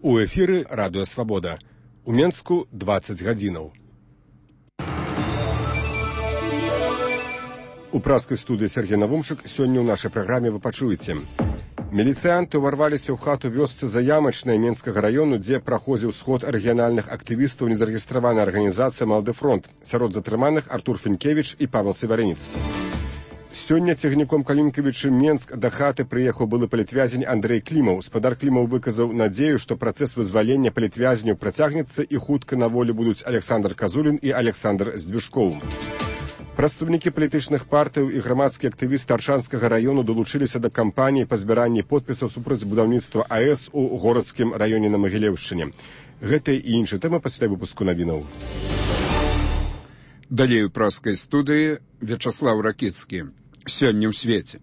У эфіры Радыё Свабода. У Менску 20 гадзінаў. У праскай студыі Сергей Навумчык сёння ў нашай праграме вы пачуеце. Міліцыянты ўварваліся ў хату вёсцы Заямачнай Менскага раёну, дзе праходзіў сход рэгіянальных актывістаў незарэгістраванай арганізацыі «Малады фронт». Сярод затрыманых Артур Фінкевіч і Павел Севарыніц. Сёння цягніком Калінкавічы Менск да хаты прыехаў былы палітвязень Андрэй Клімаў. Спадар Клімаў выказаў надзею, што працэс вызвалення палітвязняў працягнецца і хутка на волі будуць Александр Казулін і Александр Здвижкоў. Прадстаўнікі палітычных партыяў і грамадскія актывісты Аршанскага раёну далучыліся да кампаніі па збіранні подпісаў супраць будаўніцтва АЭС у горадскім раёне на Магілеўшчыне. Гэта і іншыя тэмы пасля выпуску навінаў. Далей у праскай студыі Вячаслаў Ракіцкі. Сёння ў свеце.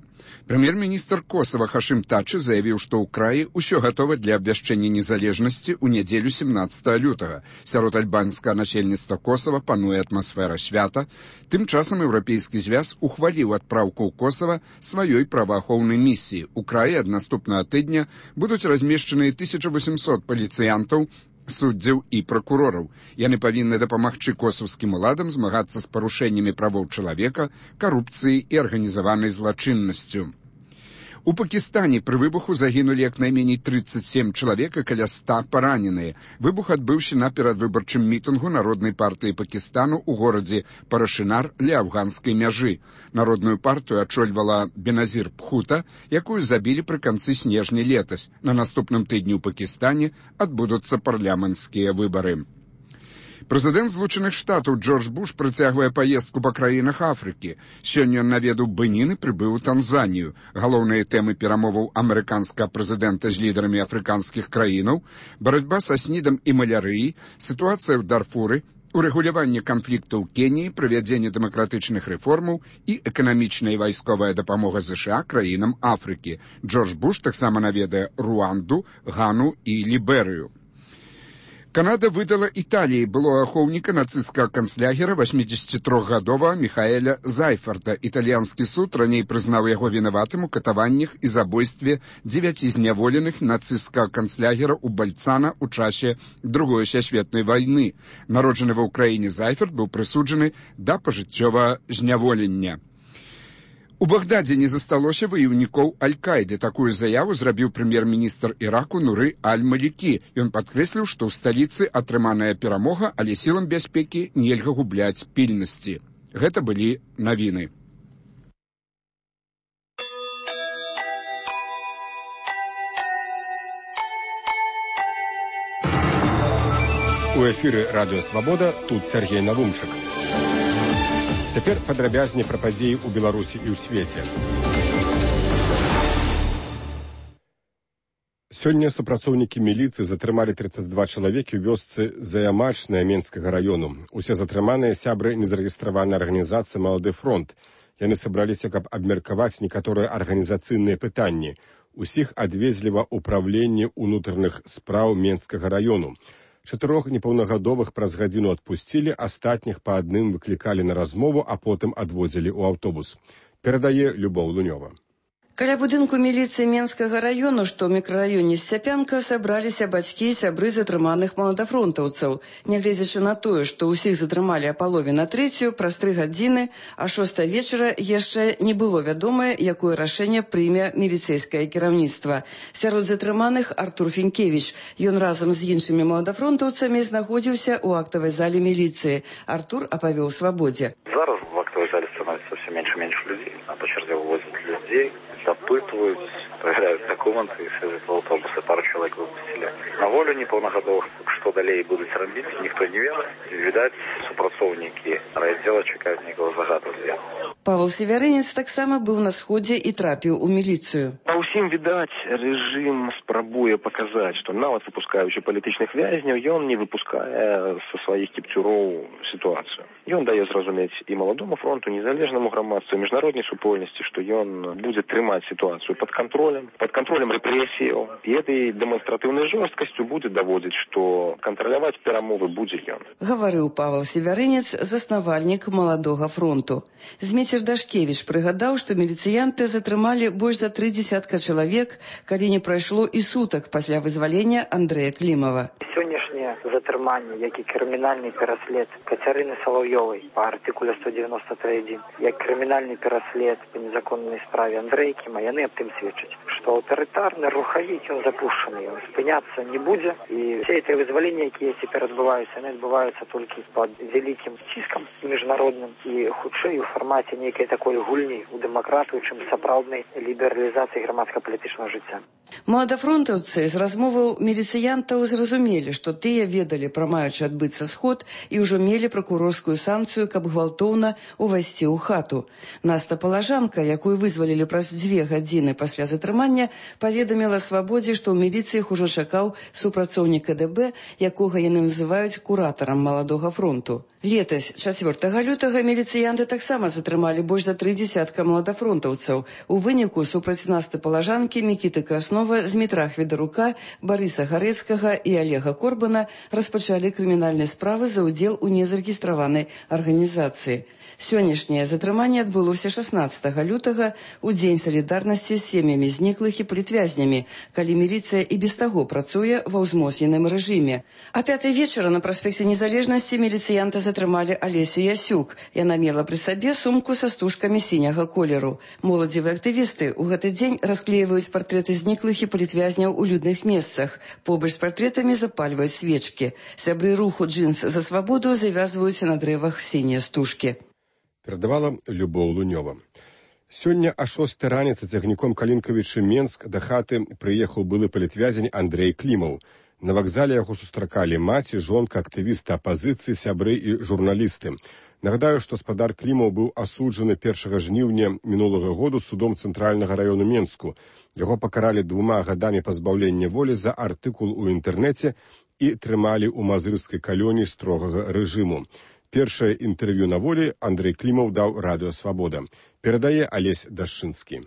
Прэм'ер-міністр Косава Хашым Тачы заявіў, што ў краі ўсё гатова для абвяшчэння незалежнасці ў нядзелю 17 лютага. Сярод альбанскага насельніцтва Косава пануе атмасфера свята. Тым часам Еўрапейскі звяз ухваліў адпраўку ў Косава сваёй праваахоўнай місіі. У краі ад наступнага тыдня будуць размешчаныя 1800 паліцыянтаў, суддзяў і пракурораў. Яны павінны дапамагчы косаўскім уладам змагацца з парушэннямі правоў чалавека, карупцыяй і арганізаванай злачыннасцю. У Пакістане пры выбуху загінулі як найменей 37 чалавек і каля 100 параненыя. Выбух адбыўся на перадвыбарчым мітынгу Народнай партыі Пакістану ў горадзе Парашынар ля афганскай мяжы. Народную партыю ачольвала Беназір Пхута, якую забілі пры канцы снежня летась. На наступным тыдні ў Пакістане адбудуцца парламенцкія выбары. Прэзідэнт Злучаных Штатаў Джордж Буш працягвае паездку па краінах Афрыкі. Сёння ён наведаў Бенін і прыбыў у Танзанію. Галоўныя тэмы перамоваў амерыканскага прэзідэнта з лідарамі афрыканскіх краінаў, барацьба са снідам і малярыяй, сітуацыя ў Дарфуры, урэгуляванне канфлікту ў Кеніі, правядзенне дэмакратычных рэформаў і эканамічная і вайсковая дапамога ЗША краінам Афрыкі. Джордж Буш таксама наведае Руанду, Гану і Ліберыю. Канада выдала Італіі былога ахоўніка нацысцкага канцлягера 83-гадовага Міхаэля Зайферта. Італьянскі суд раней прызнаў яго вінаватым у катаваннях і забойстве 9 зняволеных нацысцкага канцлягера ў Бальцана ў часе Другой сусветнай вайны. Народжаны ва ўкраіне Зайферт быў прысуджаны да пажыццёвага зняволення. У Багдадзе не засталося ваяўнікоў Аль-Каіды. Такую заяву зрабіў прэм'ер-міністр Іраку Нуры Аль-Малікі. Ён падкрэсліў, што ў сталіцы атрыманая перамога, але сілам бяспекі нельга губляць пільнасці. Гэта былі навіны. У эфіры Радыё Свабода, тут Сергей Навумчык. Цяпер падрабязней пра падзеі ў Беларусі і ў свеце. Сёння супрацоўнікі міліцыі затрымалі 32 чалавекі ў вёсцы Заямачная Менскага раёну. Усе затрыманыя сябры незарэгістраванай арганізацыі «Малады фронт». Яны сабраліся, каб абмеркаваць некаторыя арганізацыйныя пытанні. Усіх адвезлі ва ўпраўленне ўнутраных спраў Менскага раёну. 4 непаўнагадовых праз гадзіну адпусцілі, астатніх па адным выклікалі на размову, а потым адводзілі ў аўтобус. Перадае Любоў Лунёва. Каля будынку міліцыі Менскага раёну, што ў мікрараёне Сцяпянка, сабраліся бацькі і сябры затрыманых маладафронтаўцаў. Нягледзячы на тое, што ўсіх затрымалі а палове на 3, праз 3 гадзіны, а 6 вечара яшчэ не было вядомае, якое рашэнне прыме міліцэйскае кіраўніцтва. Сярод затрыманых Артур Фінкевіч. Ён разам з іншымі маладафронтаўцамі знаходзіўся ў актавай зале міліцыі. Артур апавёў Свабодзе. Зараз в актовой зале становится все меньше и меньше людей. А по черзе вывозят людей, запытывают, проверяют документы и садят в автобусы. Пару человек выпустили на волю неполногодовых. Что далее будут робить, никто не ведает. Видать, супрацоўнікі райотдела чекают некого загадку. Павел Севарыніц таксама быў на сходзе і трапіў у міліцыю. Па ўсім, відаць, рэжым спрабуе паказаць, што нават выпускаючы палітычных вязняў, ён не выпускае са сваіх кіпцюроў сітуацыю. Ён дае зразумець і маладому фронту, незалежнаму грамадству, міжнароднай супольнасці, што ён будзе трымаць сітуацыю пад кантролем рэпрэсіяў. І этой дэманстратыўнай жорсткасцю будзе даводзіць, што кантраляваць перамовы будзе ён. Гаварыў Павел Севарыніц, заснавальнік маладога фронту. З Віцер Дашкевіч прыгадаў, што міліцыянты затрымалі больш за 30 чалавек, калі не прайшло і сутак пасля вызвалення Андрэя Клімова. Сённяшнее затрыманне, як і крымінальны пераслед Кацярыны Салаўёвай па артыкуле 193.1, як крымінальны пераслед па незаконнай справе Андрэя Кліма, яны аб тым сведчаць, што аўтарытарны рухавік, ён запушчаны, ён спыняцца не будзе, і все эти вызваленні, якія цяпер адбываюцца, яны адбываюцца толькі пад вялікім ціскам міжнародным і хутчэй у фармаце нейкай такой гульні у дэмакратыю, чым сапраўднай лібералізацыі грамадска-палітычнага жыцця. Маладафронтаўцы з размоваў міліцыянтаў зразумелі, што тыя ведалі пра маючы адбыцца сход і ўжо мелі пракурорскую санкцыю, каб гвалтоўна увайсці ў хату. Наста Палажанка, якую вызвалілі праз 2 гадзіны пасля затрымання, паведаміла Свабодзе, што ў міліцыі іх ужо чакаў супрацоўнік КДБ, якога яны называюць куратарам маладога фронту. Летась, 4 лютага, міліцыянты таксама затрымалі больш за 30 маладафронтаўцаў. У выніку супраць Насты Палажанкі, Мікіты Краснова, Змітра Хведарука, Барыса Гарэцкага і Олега Корбана распачалі крымінальныя справы за ўдзел у незарэгістраванай арганізацыі. Сённяшняе затрыманне адбылося 16 лютага у дзень салідарнасці з сем'ямі зніклых і палітвязнямі, калі міліцыя і без таго працуе ва ўзмоцненым рэжыме. А 5 вечара на праспекце Незалежнасці міліцыянты затрымалі Алесю Ясюк. Яна мела пры сабе сумку са стужкамі сіняга колеру. Моладзевыя актывісты ў гэты дзень расклеіваюць партрэты зніклых і палітвязняў у людных месцах. Побач з партрэтамі запальваюць свечкі. Сябры руху «Джинс за свабоду» завязваюць на дрэвах сінія стужкі. Перадавала Любоў Лунёва. Сёння а 6 раніцы цягніком Калінкавічы Менск да хаты прыехаў былы палітвязень Андрэй Клімаў. На вакзале яго сустракалі маці, жонка, актывісты апазіцыі, сябры і журналісты. Нагадаю, што спадар Клімаў быў асуджаны 1 жніўня мінулага году судом Цэнтральнага раёну Менску. Яго пакаралі 2 гадамі пазбаўлення волі за артыкул у інтэрнэце і трымалі ў мазырскай калоніі строгага рэжыму. Першае інтэрв'ю на волі Андрэй Клімаў даў радыё «Свабода». Перадае Алесь Дашчынскі.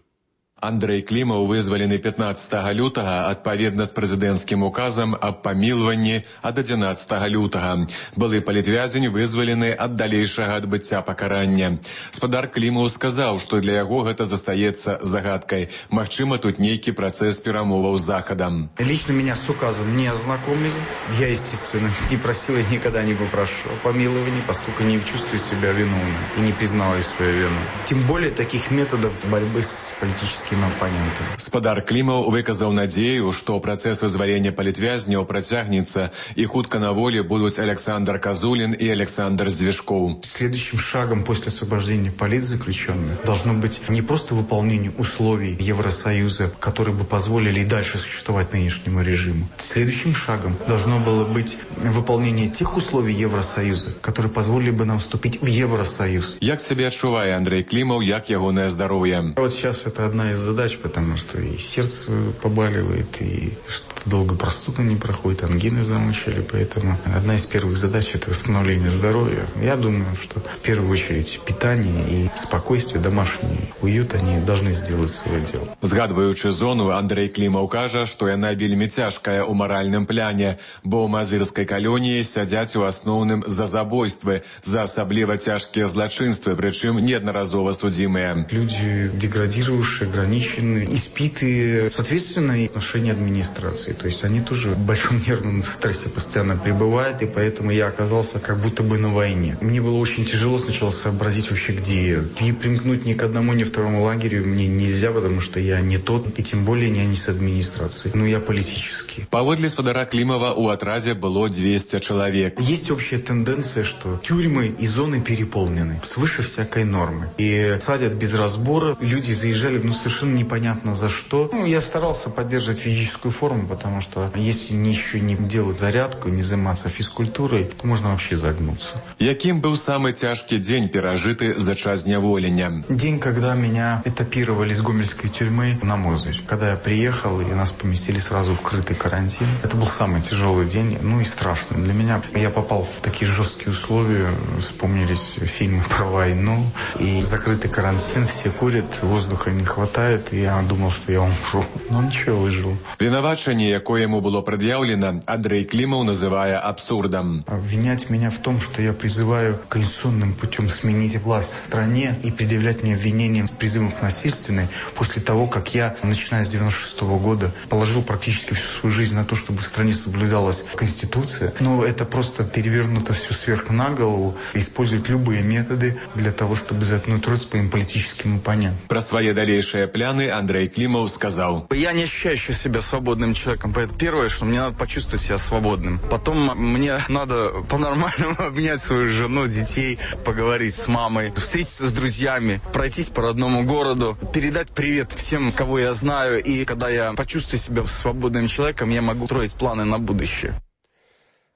Андрэй Клімаў вызвалены 15 лютага адпаведна з прэзідэнцкім указам аб памілванні ад 11 лютага. Былы палітвязень вызвалены ад далейшага адбыцця пакарання. Спадар Клімаў сказаў, што для яго гэта застаецца загадкай. Магчыма, тут нейкі працэс перамоваў з Захадам. Лично меня с указом не ознакомили. Я, естественно, не просил и никогда не попрошу о помиловании, поскольку не чувствую себя виновным и не признаваю свою вину. Тем более таких методов борьбы с политическими оппонентами. Спадар Клімаў выказаў надзею, што працэс вызвалення палітвязняў працягнецца і хутка на волі будуць Александр Козулин и Александр Звежков. Следующим шагом после освобождения политзаключенных должно быть не просто выполнение условий Евросоюза, которые бы позволили и дальше существовать нынешнему режиму. Следующим шагом должно было быть выполнение тех условий Евросоюза, которые позволили бы нам вступить в Евросоюз. Як себе адчувае Андрэй Клімаў, як ягонае здароўе? Вот сейчас это одна из задач, потому что и сердце побаливает, и что-то долго простуда не проходит, ангины замучили, поэтому одна из первых задач – это восстановление здоровья. Я думаю, что в первую очередь питание и спокойствие, домашний уют, они должны сделать свое дело. Згадваючы зону, Андрэй Клімаў кажа, што яна вельмі цяжкая ў маральным пляне, бо ў мазырскай калоніі сядзяць у асноўным за забойствы, за асабліва цяжкія злачынствы, прычым неаднаразова судзімыя. Люди деградировавшие, ограниченные, испитые, соответственно, и отношения администрации. То есть они тоже в большом нервном стрессе постоянно пребывают, и поэтому я оказался как будто бы на войне. Мне было очень тяжело сначала сообразить вообще, где я. Не примкнуть ни к одному, ни к второму лагерю мне нельзя, потому что я не тот, и тем более не с администрацией. Но я политический. Паводле спадара Клімава у атрадзе было 200 человек. Есть общая тенденция, что тюрьмы и зоны переполнены свыше всякой нормы. И садят без разбора. Люди заезжали, совершенно непонятно за что. Я старался поддерживать физическую форму, потому что если еще не делать зарядку, не заниматься физкультурой, то можно вообще загнуться. Яким был самый тяжкий день, пережитый за час зняволення? День, когда меня этапировали из гомельской тюрьмы на Мозырь. Когда я приехал, и нас поместили сразу в крытый карантин. Это был самый тяжелый день, и страшный для меня. Я попал в такие жесткие условия, вспомнились фильмы про войну, и закрытый карантин, все курят, воздуха не хватает. хватает, и я думал, что я умру. Но ничего, выжил. Вінавачанне, якое ему было предъявлено, Андрей Климов называя абсурдом. Обвинять меня в том, что я призываю конституционным путем сменить власть в стране и предъявлять мне обвинения с призывом к насильственной, после того, как я, начиная с 96 года, положил практически всю свою жизнь на то, чтобы в стране соблюдалась Конституция. Но это просто перевернуто все сверху на голову, используют любые методы для того, чтобы заткнуть рот своим политическим оппонентам. Про свои дальнейшие планы Андрей Климов сказал: «Я не ощущаю себя свободным человеком. Поэтому первое, что мне надо почувствовать себя свободным. Потом мне надо по-нормальному обнять свою жену, детей, поговорить с мамой, встретиться с друзьями, пройтись по родному городу, передать привет всем, кого я знаю. И когда я почувствую себя свободным человеком, я могу строить планы на будущее».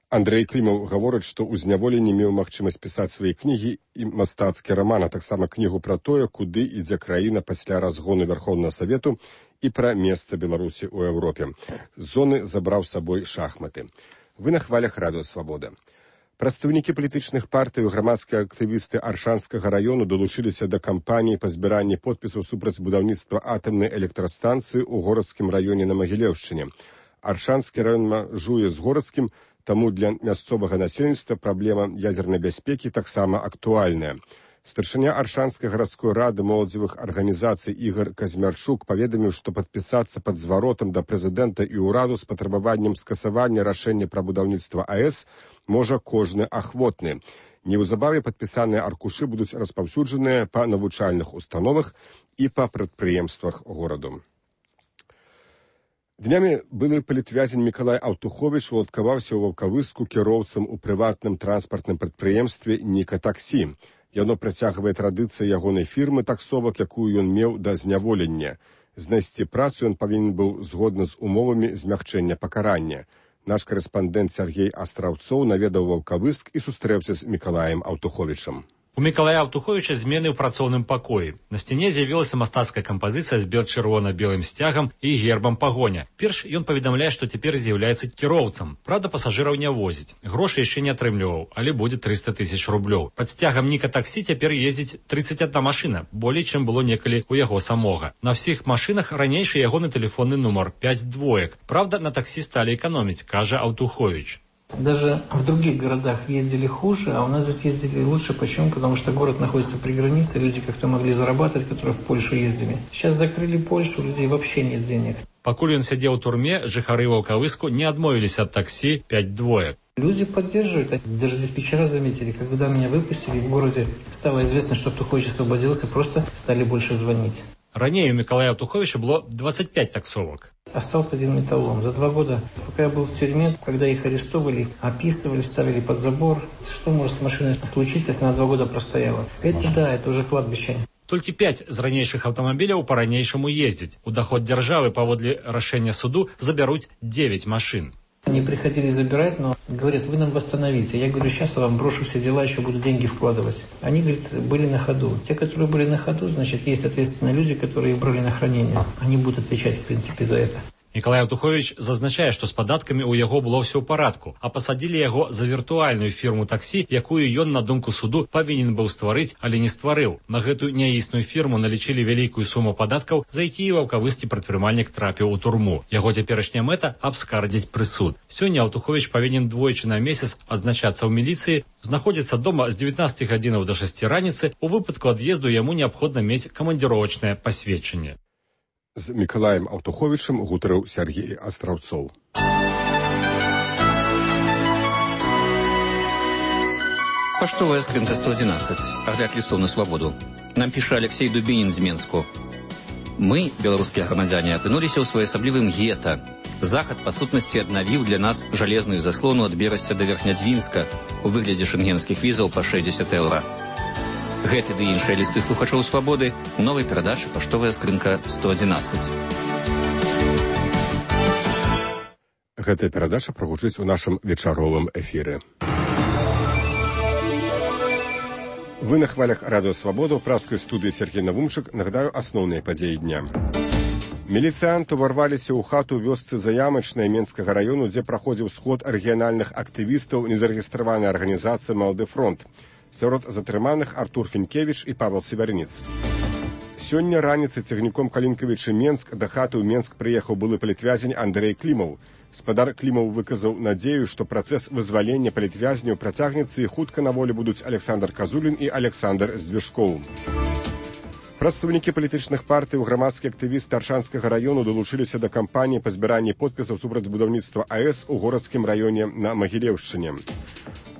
Андрей Клімаў гаворыць, што ў зняволенні меў магчымасць пісаць свае кнігі і мастацкі раман, а таксама кнігу пра тое, куды ідзе краіна пасля разгону Вярхоўнага Савету і пра месца Беларусі ў Еўропе. З зоны забраў з сабой шахматы. Вы на хвалях Радыё Свабода. Прадстаўнікі палітычных партый і грамадскія актывісты Аршанскага раёну далучыліся да кампаніі па збіранні подпісаў супраць будаўніцтва атамнай электрастанцыі ў горадскім раёне на Магілеўшчыне. Аршанскі раён мяжуе з горадскім, таму для мясцовага насельніцтва праблема ядзернай бяспекі таксама актуальная. Старшыня Аршанскай гарадской рады моладзевых арганізацый Ігор Казмярчук паведаміў, што падпісацца пад зваротам да прэзідэнта і ўраду з патрабаваннем скасавання рашэння пра будаўніцтва АЭС можа кожны ахвотны. Неўзабаве падпісаныя аркушы будуць распаўсюджаныя па навучальных установах і па прадпрыемствах гораду. Днямі былы палітвязень Мікалай Аўтуховіч уладкаваўся ў Ваўкавыску кіроўцам у прыватным транспартным прадпрыемстве «Ніка Таксі». Яно працягвае традыцыі ягонай фірмы таксовак, якую ён меў да зняволення. Знайсці працу ён павінен быў згодна з умовамі змягчэння пакарання. Наш корэспандэнт Сергей Астраўцоў наведаў Ваўкавыск і сустрэўся з Мікалаем Аўтуховічам. У Мікалая Аўтуховіча змены ў працоўным пакоі. На сцяне з'явілася мастацкая кампазіцыя з бел-чырвона-белым сцягам і гербам пагоня. Перш ён паведамляе, што цяпер з'яўляецца кіроўцам. Праўда, пасажыраў не возіць. Грошы яшчэ не атрымліваў, але будзе 300 000 рублёў. Пад сцягам Ніка Таксі цяпер ездзіць 31 машына, болей, чым было некалі ў яго самога. На ўсіх машынах ранейшы ягоны тэлефонны нумар 5 двоек. Праўда, на таксі сталі эканоміць, кажа Аўтуховіч. Даже в других городах ездили хуже, а у нас здесь ездили лучше. Почему? Потому что город находится при границе, люди как-то могли зарабатывать, которые в Польшу ездили. Сейчас закрыли Польшу, у людей вообще нет денег. Пакуль ён сядзеў у турме, жыхары Ваўкавыску не адмовіліся ад таксі 5 двоек. Люди поддерживают. Даже диспетчера заметили, когда меня выпустили, в городе стало известно, что Аўтухович освободился, просто стали больше звонить. Ранее у Миколая Аўтуховича было 25 таксовок. Остался один металлолом. За 2 года, пока я был в тюрьме, когда их арестовывали, описывали, ставили под забор. Что может с машиной случиться, если она 2 года простояла? Это да, это уже кладбище. Толькі 5 з ранейшых аўтамабіляў па-ранейшаму ездзяць. У даход дзяржавы паводле рашэння суду забяруць 9 машин. Они приходили забирать, но говорят, вы нам восстановите. Я говорю, сейчас я вам брошу все дела, еще буду деньги вкладывать. Они, говорит, были на ходу. Те, которые были на ходу, значит, есть ответственные люди, которые их брали на хранение. Они будут отвечать, в принципе, за это. Мікалай Аўтуховіч зазначае, што з падаткамі ў яго было ўсё ў парадку, а пасадзілі яго за віртуальную фірму таксі, якую ён, на думку суду, павінен быў стварыць, але не стварыў. На гэтую няісную фірму налічылі вялікую суму падаткаў, за якія ваўкавыскі прадпрымальнік трапіў у турму. Яго цяперашняя мэта – абскардзіць прысуд. Сёння Аўтуховіч павінен двойчы на месяц адзначацца ў міліцыі, знаходзіцца дома з 19 гадзінаў да 6 раніцы, у выпадку ад'езду яму неабходна мець камандзіровачнае пасведчанне. З Мікалаем Аўтуховічам гутарыў Сергей Астраўцоў. Паштовая скрынка 111. Агляд лістоў на свабоду. Нам піша Алексей Дубінін з Менску. Мы, беларускія грамадзяне, апынуліся ў своеасаблівым гета. Захад, па сутнасці, аднавіў для нас жалезную заслону ад Берасця да Верхнядзвінска у выглядзе шэнгенскіх візаў па 60 еўра. Гэты ды іншыя лісты слухачоў свабоды у новай перадачы «Паштовая скрынка 111». Гэтая перадача прагучыць у нашым вечаровым эфіры. Вы на хвалях Радыё Свабода, ў праскай студыі Сергей Навумчык. Нагадаю асноўныя падзеі дня. Міліцыянты ўварваліся ў хату вёсцы Заямачнай Менскага раёну, дзе праходзіў сход рэгіянальных актывістаў незарэгістраванай арганізацыі «Малады фронт». Сярод затрыманых Артур Фінкевіч і Павел Севярніц. Сёння раніцай цягніком Калінкавічы-Менск да хаты ў Менск прыехаў былы палітвязень Андрэй Клімаў. Спадар Клімаў выказаў надзею, што працэс вызвалення палітвязняў працягнецца і хутка на волі будуць Александр Казулін і Александр Звяшкоў. Прадстаўнікі палітычных партый, грамадскія актывісты Аршанскага раёну далучыліся да кампаніі па збіранні подпісаў супраць будаўніцтва АЭС у горадскім раёне на Магілеўшчыне.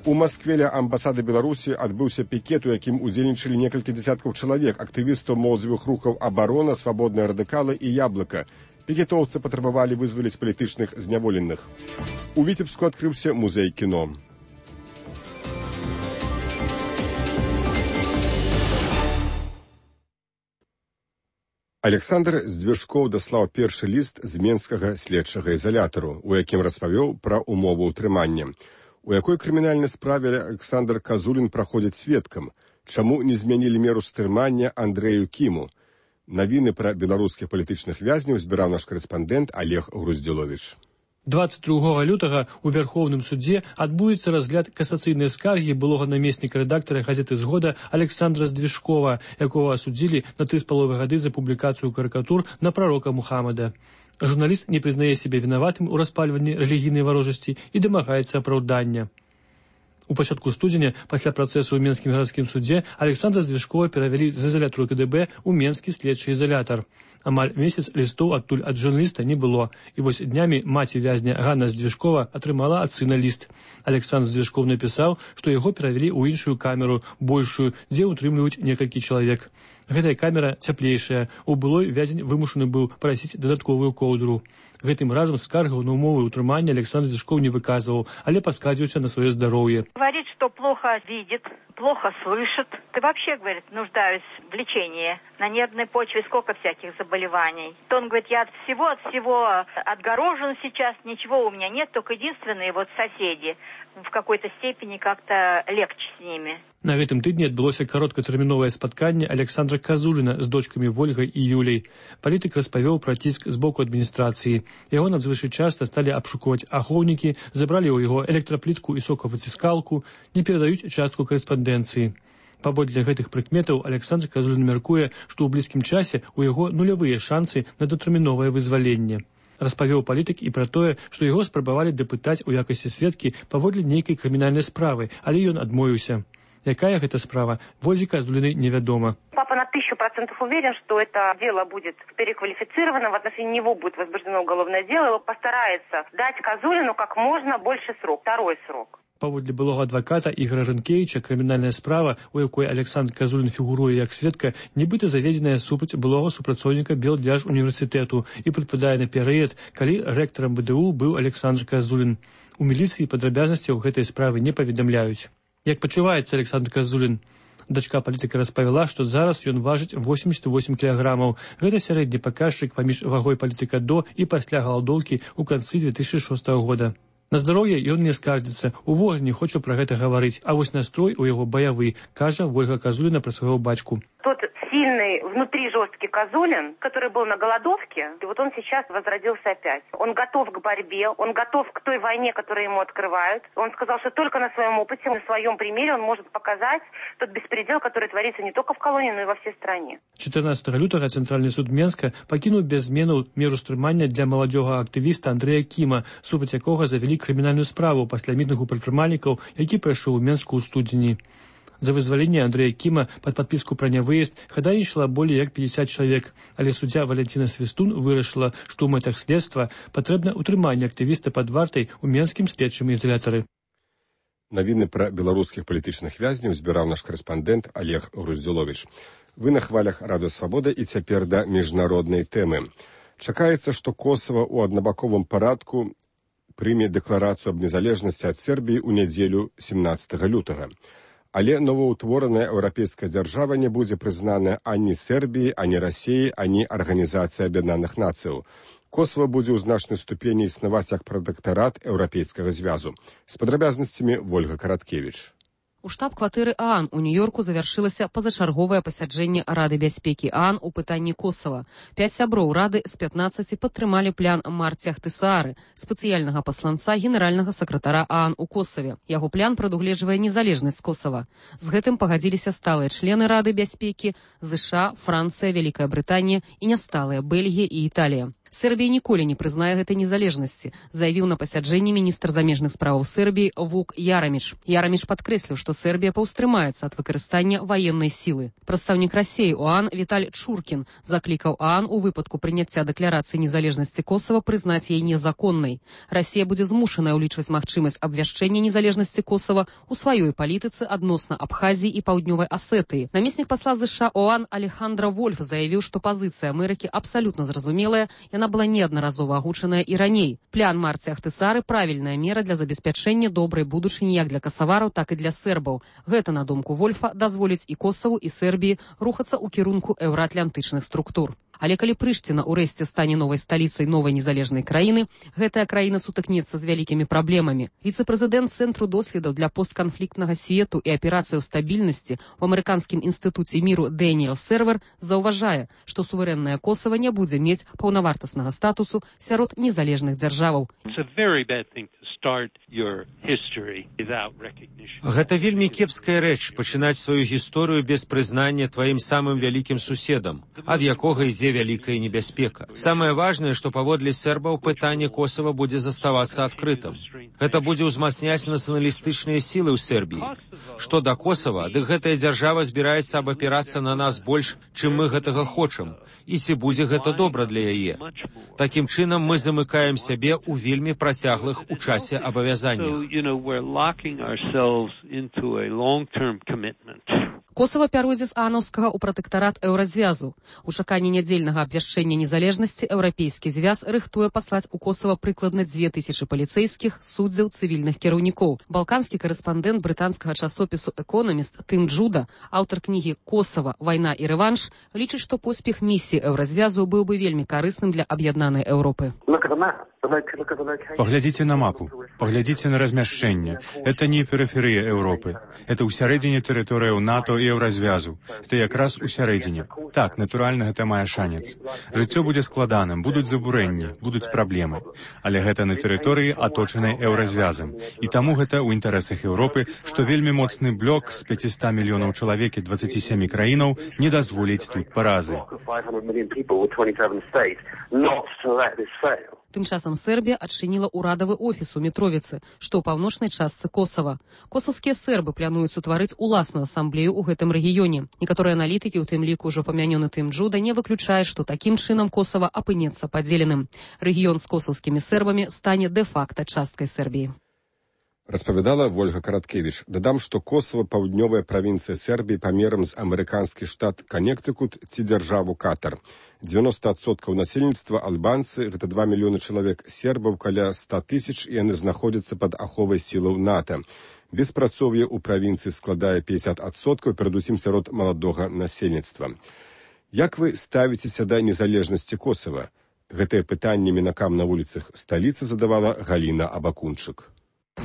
У Маскве ля амбасады Беларусі адбыўся пікет, у якім удзельнічалі некалькі дзесяткаў чалавек, актывістаў моладзевых рухаў «Абарона», «Свабодныя радыкалы» і «Яблыка». Пікетоўцы патрабавалі вызваліць палітычных зняволеных. У Віцебску адкрыўся музей кіно. Александр Звяшкоў даслаў першы ліст з менскага следчага ізалятару, у якім распавёў пра умову ўтрымання. У якой крымінальнай справе Александр Казулін праходзіць сведкам? Чаму не змянілі меру стрымання Андрэю Кіму? Навіны пра беларускіх палітычных вязняў збіраў наш карэспандэнт Олег Груздзіловіч. 22 лютага у Верховным судзе адбудзецца разгляд касацыйнай скаргі былога намесніка рэдактара газеты «Згода» Александра Звяшкова, якого асудзілі на 3,5 гады за публікацыю карыкатур на прарока Мухаммада. Журналіст не прызнае сябе вінаватым у распальванні рэлігійнай варожасці і дамагаецца апраўдання. У пачатку студзеня, пасля працэсу ў Менскім гарадскім судзе, Александра Звяшкова перавялі з ізалятару КДБ ў Менскі следчы ізалятар. Амаль месяц лістоў адтуль ад журналіста не было, і вось днямі маці вязня Ганна Звяшкова атрымала ад сына ліст. Александр Звяшков напісаў, што яго перавялі ў іншую камеру, большую, дзе ўтрымліваюць некалькі чалавек. Гэтая камера цяплейшая, у былой вязень вымушаны быў прасіць дадатковую коўдру. Гэтым разам скаргаў на умовы ўтрымання Александр Звяшков не выказываў, але паскардзіўся на сваё здароўе. Говорит, что плохо видит, плохо слышит. Ты вообще, говорит, нуждаюсь в лечении. На нервной почве сколько всяких заболеваний. То он говорит, я от всего отгорожен сейчас, ничего у меня нет, только единственные вот соседи. В какой-то степени как-то легче с ними. На гэтым тыдні адбылося кароткатэрміновае спатканне Александра Казуліна з дочкамі Вольгай і Юляй. Палітык распавёў пра ціск з боку адміністрацыі. Яго надзвычай часта сталі абшукваць ахоўнікі, забралі ў яго электраплітку і сокавыціскалку, не перадаюць частку карэспандэнцыі. Паводле гэтых прыкметаў Александр Казулін мяркуе, што ў блізкім часе ў яго нулявыя шансы на датэрміновае вызваленне. Распавёў палітык і пра тое, што яго спрабавалі дапытаць у якасці сведкі паводле нейкай крымінальнай справы, але ён адмовіўся. Якая гэта справа, Вользе Казуліной невядома. Папа на 1000% уверен, что это дело будет переквалифицировано, в отношении него будет возбуждено уголовное дело, и постарается дать Казулину как можно больше срок, второй срок. Паводле былога адваката Ігора Рынкевіча, крымінальная справа, у якой Александр Казулін фігуруе як сведка, нібыта заведзеная супраць былога супрацоўніка Белдзяржуніверсітэту і прыпадае на перыяд, калі рэктарам БДУ быў Александр Казулін. У міліцыі падрабязнасцяў гэтай справы не паведамляюць. Як пачуваецца Александр Казулін? Дачка палітыка распавяла, што зараз ён важыць 88 кілаграмаў. Гэта сярэдні паказчык паміж вагой палітыка до і пасля галадоўкі ў канцы 2006 года. На здароўе ён не скардзіцца, увогуле не хоча пра гэта гаварыць, а вось настрой у яго баявы, кажа Вольга Казуліна пра свайго бацьку. Тот сильный, внутри жесткий Казулин, который был на голодовке, и вот он сейчас возродился опять. Он готов к борьбе, он готов к той войне, которую ему открывают. Он сказал, что только на своем опыте, на своем примере он может показать тот беспредел, который творится не только в колонии, но и во всей стране. 14 лютага Цэнтральны суд Менска пакінуў без зменаў меру стрымання для маладзёга актывіста Андрэя Кіма, супраць якога завялі крымінальную справу пасля мітынгу прадпрымальнікаў, які прайшоў у Менску ў студзені. За вызваленне Андрэя Кіма пад падпіску пра нявыезд хадайнічала болей як 50 чалавек, але суддзя Валентина Свістун вырашыла, што ў мэтах следства патрэбна ўтрыманне актывіста пад вартай у Менскім следчым ізалятары. Навіны пра беларускіх палітычных вязняў збіраў наш карэспандэнт Олег Груздзіловіч. Вы на хвалях Радыё Свабода і цяпер да міжнароднай тэмы. Чакаецца, што Косава ў аднабаковым парадку прыме дэкларацыю аб незалежнасці ад Сербіі ў нядзелю 17 лютага. Але новаўтвораная еўрапейская дзяржава не будзе прызнаная ані Сербіі, ані Расіі, ані Арганізацыі Аб'яднаных Нацыяў. Косава будзе ў значнай ступені існаваць як пратэктарат Еўрапейскага звязу. З падрабязнасцямі Вольга Караткевіч. У штаб-кватэры ААН у Нью-Йорку завяршылася пазачарговае пасяджэнне Рады бяспекі ААН у пытанні Косава. 5 сяброў Рады з 15 падтрымалі план Марці Ахтысаары, спецыяльнага пасланца генеральнага сакратара ААН у Косаве. Яго план прадугледжвае незалежнасць Косава. З гэтым пагадзіліся сталыя члены Рады бяспекі ЗША, Францыя, Вялікая Брытанія і нясталыя Бельгія і Італія. Сербія ніколі не прызнае гэтай незалежнасці, заявіў на пасяджэнні міністр замежных справаў Сербіі Вук Яраміш. Яраміш падкрэсліў, што Сербія паўстрымаецца ад выкарыстання ваеннай сілы. Прадстаўнік Расіі ў ААН Віталь Чуркін заклікаў ААН у выпадку прыняцця дэкларацыі незалежнасці Косава прызнаць яе незаконнай. Расія будзе змушаная ўлічваць магчымасць абвяшчэння незалежнасці Косава ў сваёй палітыцы адносна Абхазіі і Паўднёвай Асетыі. Намеснік пасла ЗША ОАН Алехандра Вольф заявіў, што пазіцыя Амерыкі абсалютна зразумелая. Яна была неаднаразова агучаная і раней. План Марці Ахтысаары правільная мера для забеспячэння добрай будучыні як для касавараў, так і для сербаў. Гэта, на думку Вольфа, дазволіць і Косаву, і Сербіі рухацца ў кірунку еўраатлантычных структур. Але калі Прышціна ўрэшце стане новай сталіцай новай незалежнай краіны, гэтая краіна сутыкнецца з вялікімі праблемамі. Віцэ-прэзідэнт Цэнтру доследаў для постканфліктнага свету і аперацыяў стабільнасці ў амерыканскім інстытуце міру Дэніел Сервер заўважае, што суверэннае Косава не будзе мець паўнавартаснага статусу сярод незалежных дзяржаваў. Гэта вельмі кепская рэч пачынаць сваю гісторыю без прызнання тваім самым вялікім суседам, ад якога ідзе вялікая небяспека. Самае важнае, што паводле сербаў пытанне Косава будзе заставацца адкрытым. Гэта будзе ўзмацняць нацыяналістычныя сілы ў Сербіі. Што да Косава, дык гэтая дзяржава збіраецца абапірацца на нас больш, чым мы гэтага хочам. І ці будзе гэта добра для яе. Такім чынам мы замыкаем сябе ў вельмі працяглых у часе абавязаннях. Косава пяройдзе з аанаўскага ў пратэктарат еўразвязу. У чаканні нядзельнага абвяшчэння незалежнасці еўрапейскі звяз рыхтуе паслаць у Косава прыкладна 2000 паліцэйскіх, суддзяў, цывільных кіраўнікоў. Балканскі корэспандэнт брытанскага часопісу «Экономіст» Тым Джуда, аўтар кнігі «Косава. Вайна і рэванш», лічыць, што поспех місіі еўразвязу быў бы вельмі карысным для аб'яднанай Еўропы. Поглядите на мапу, поглядите на размяшчэнне. Это не перыферыя Еўропы. Это ўсярэдзіне тэрыторыяў НАТО і Еўразвязу. Это якраз усярэдзіне. Так, натуральна, гэта мае шанец. Жыццё будзе складаным, будуць забурэнні, будуць праблемы. Але гэта на тэрыторыі, аточанай Еўразвязам. І таму гэта ў інтарэсах Еўропы, што вельмі моцны блок з 500 мільёнаў чалавек і 27 краінаў не дазволіць тут паразы. Тым часам Сербія адчыніла ўрадавы офіс у Мітровіцы, што ў паўночнай частцы Косава. Косаўскія сербы плануюць утварыць уласную асамблею ў гэтым рэгіёне. Некаторыя аналітыкі, у тым ліку ўжо памянёны Тым Джуда, не выключаюць, што такім чынам Косава апынецца падзеленым. Рэгіён з косаўскімі сербамі стане дэ-факта часткай Сербіі. Распавядала Вольга Караткевіч. Дадам, што Косава паўднёвая правінцыя Сербіі памерам з амерыканскі штат Канектыкут ці дзяржаву Катар. 90% насельніцтва альбанцы, гэта 2 мільёны чалавек, сербаў каля 100 тысяч, і яны знаходзяцца пад аховай сілаў НАТО. Беспрацоўе ў правінцыі складае 50%, перадусім сярод маладога насельніцтва. Як вы ставіцеся да незалежнасці Косава? Гэтае пытанне мінакам на вуліцах сталіцы задавала Галіна Абакунчык.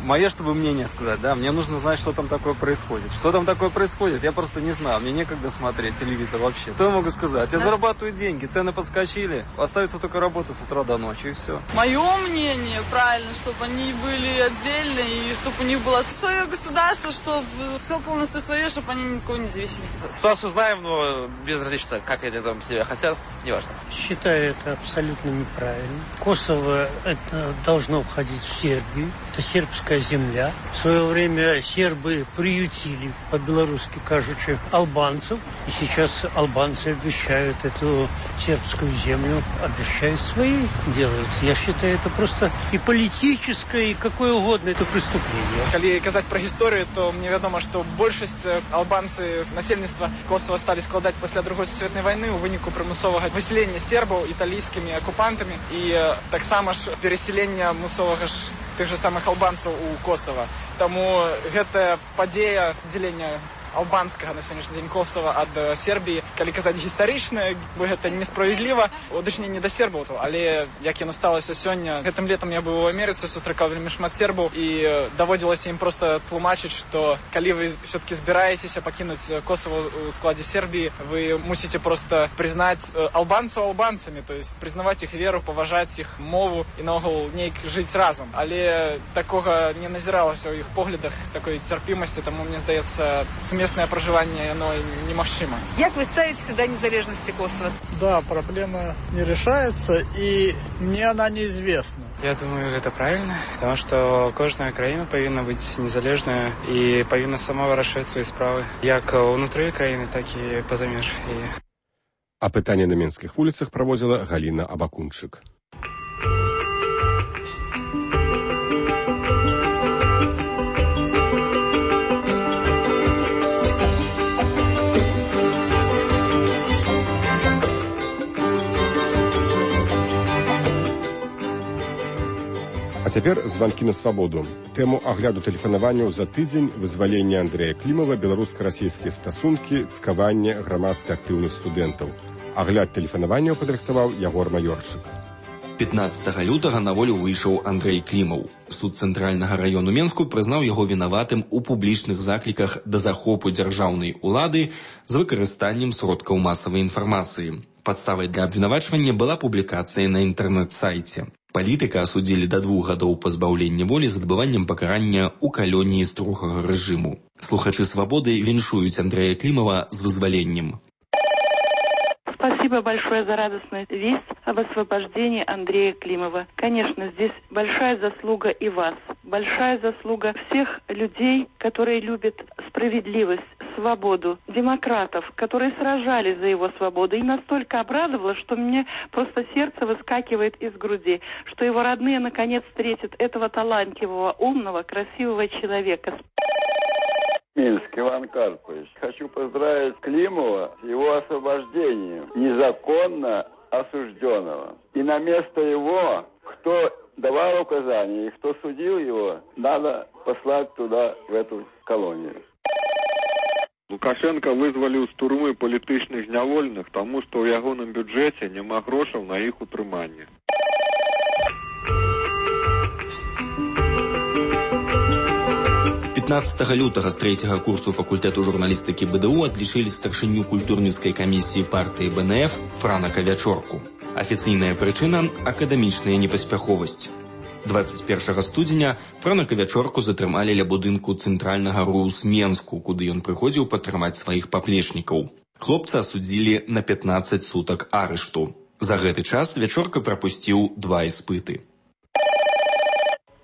Мое, чтобы мнение сказать, да, мне нужно знать, что там такое происходит. Что там такое происходит, я просто не знаю, мне некогда смотреть телевизор вообще. Что я могу сказать? Я зарабатываю деньги, цены подскочили, остается только работа с утра до ночи, и все. Мое мнение, правильно, чтобы они были отдельные, и чтобы у них было свое государство, чтобы все полностью свое, чтобы они никого не зависели. Ситуацию знаем, но безразлично, как они там себя хотят, неважно. Считаю это абсолютно неправильно. Косово это должно входить в Сербию. Это сербская земля. В свое время сербы приютили, по-белорусски кажучи, албанцев. И сейчас албанцы обещают эту сербскую землю, обещают свои делать. Я считаю, это просто и политическое, и какое угодно, это преступление. Если сказать про историю, то мне ведомо, что большасць албанцы насельніцтва Косова стали складать после Другой сусветнай войны у выніку прымусовага выселення сербаў італійскімі акупантамі і таксама ж переселення мусовага ж тых же самых албанцаў у Косова. Таму гэтая падзея дзелення албанскага на сённяшні дзень Косова ад Сербіі. Калі казаць гістарычна, гэта несправядліва у адношенні да сербаў, але як яно сталася сёння, гэтым летам я быў у Амерыцы, сустракаў вельмі шмат сербаў і даводзілася ім проста тлумачыць, што калі вы все-таки збіраецеся пакінуць Косово у складзе Сербіі, вы мусіце проста прызнаць албанцаў албанцамі, то есть прызнаваць іх веру, паважаць іх мову і наогул неяк жыць разам. Але такога не назіралася ў іх поглядах, такой цярпімасці, таму мне здаецца, сумеснае пражыванне яно немагчыма. Як вы ставитесь до незалежности Косово? Да, проблема не решается, и мне она неизвестна. Я думаю, это правильно, потому что кожная краіна павінна быць незалежная і павінна сама вырашаць свае справы, як унутры краіны, так і па-за меж. А пытанне на менскіх вуліцах праводзіла Галіна Абакунчык. А цяпер званкі на свабоду. Тэму агляду тэлефанаванняў за тыдзень, вызвалення Андрэя Клімава, беларуска-расійскія стасункі, цкаванне грамадска актыўных студэнтаў. Агляд тэлефанаванняў падрыхтаваў Ягор Маёрчык. 15 лютага на волю выйшаў Андрэй Клімаў. Суд цэнтральнага раёну Менску прызнаў яго вінаватым у публічных закліках да захопу дзяржаўнай улады з выкарыстаннем сродкаў масавай інфармацыі. Падставай для абвінавачвання была публікацыя на інтэрнэт-сайце. Палітыка асудзілі да 2 гадоў пазбаўлення волі з адбываннем пакарання ў калоніі строгага рэжыму. Слухачы свабоды віншуюць Андрэя Клімава з вызваленнем. Спасибо большое за радостную весть об освобождении Андрея Климова. Конечно, здесь большая заслуга и вас, большая заслуга всех людей, которые любят справедливость, свободу, демократов, которые сражались за его свободу. И настолько обрадовало, что мне просто сердце выскакивает из груди, что его родные наконец встретят этого талантливого, умного, красивого человека. Минск, Иван Карпович. Хочу поздравить Климова с его освобождением, незаконно осужденного. И на место его, кто давал указания и кто судил его, надо послать туда, в эту колонию. Лукашенко вызваліў з турмы палітычных зняволеных, таму што ў ягоным бюджэце няма грошаў на іх утрыманне. Лютага з 3-го курсу факультэту журналістыкі БДУ адлічылі старшыню культурніцкай камісіі партыі БНФ Франака Вячорку. Афіцыйная прычына – акадэмічная непаспяховасць. 21 студзеня Франака Вячорку затрымалі ля будынку цэнтральнага РУС Менску, куды ён прыходзіў падтрымаць сваіх паплечнікаў. Хлопца асудзілі на 15 сутак арышту. За гэты час Вячорка прапусціў 2 іспыты.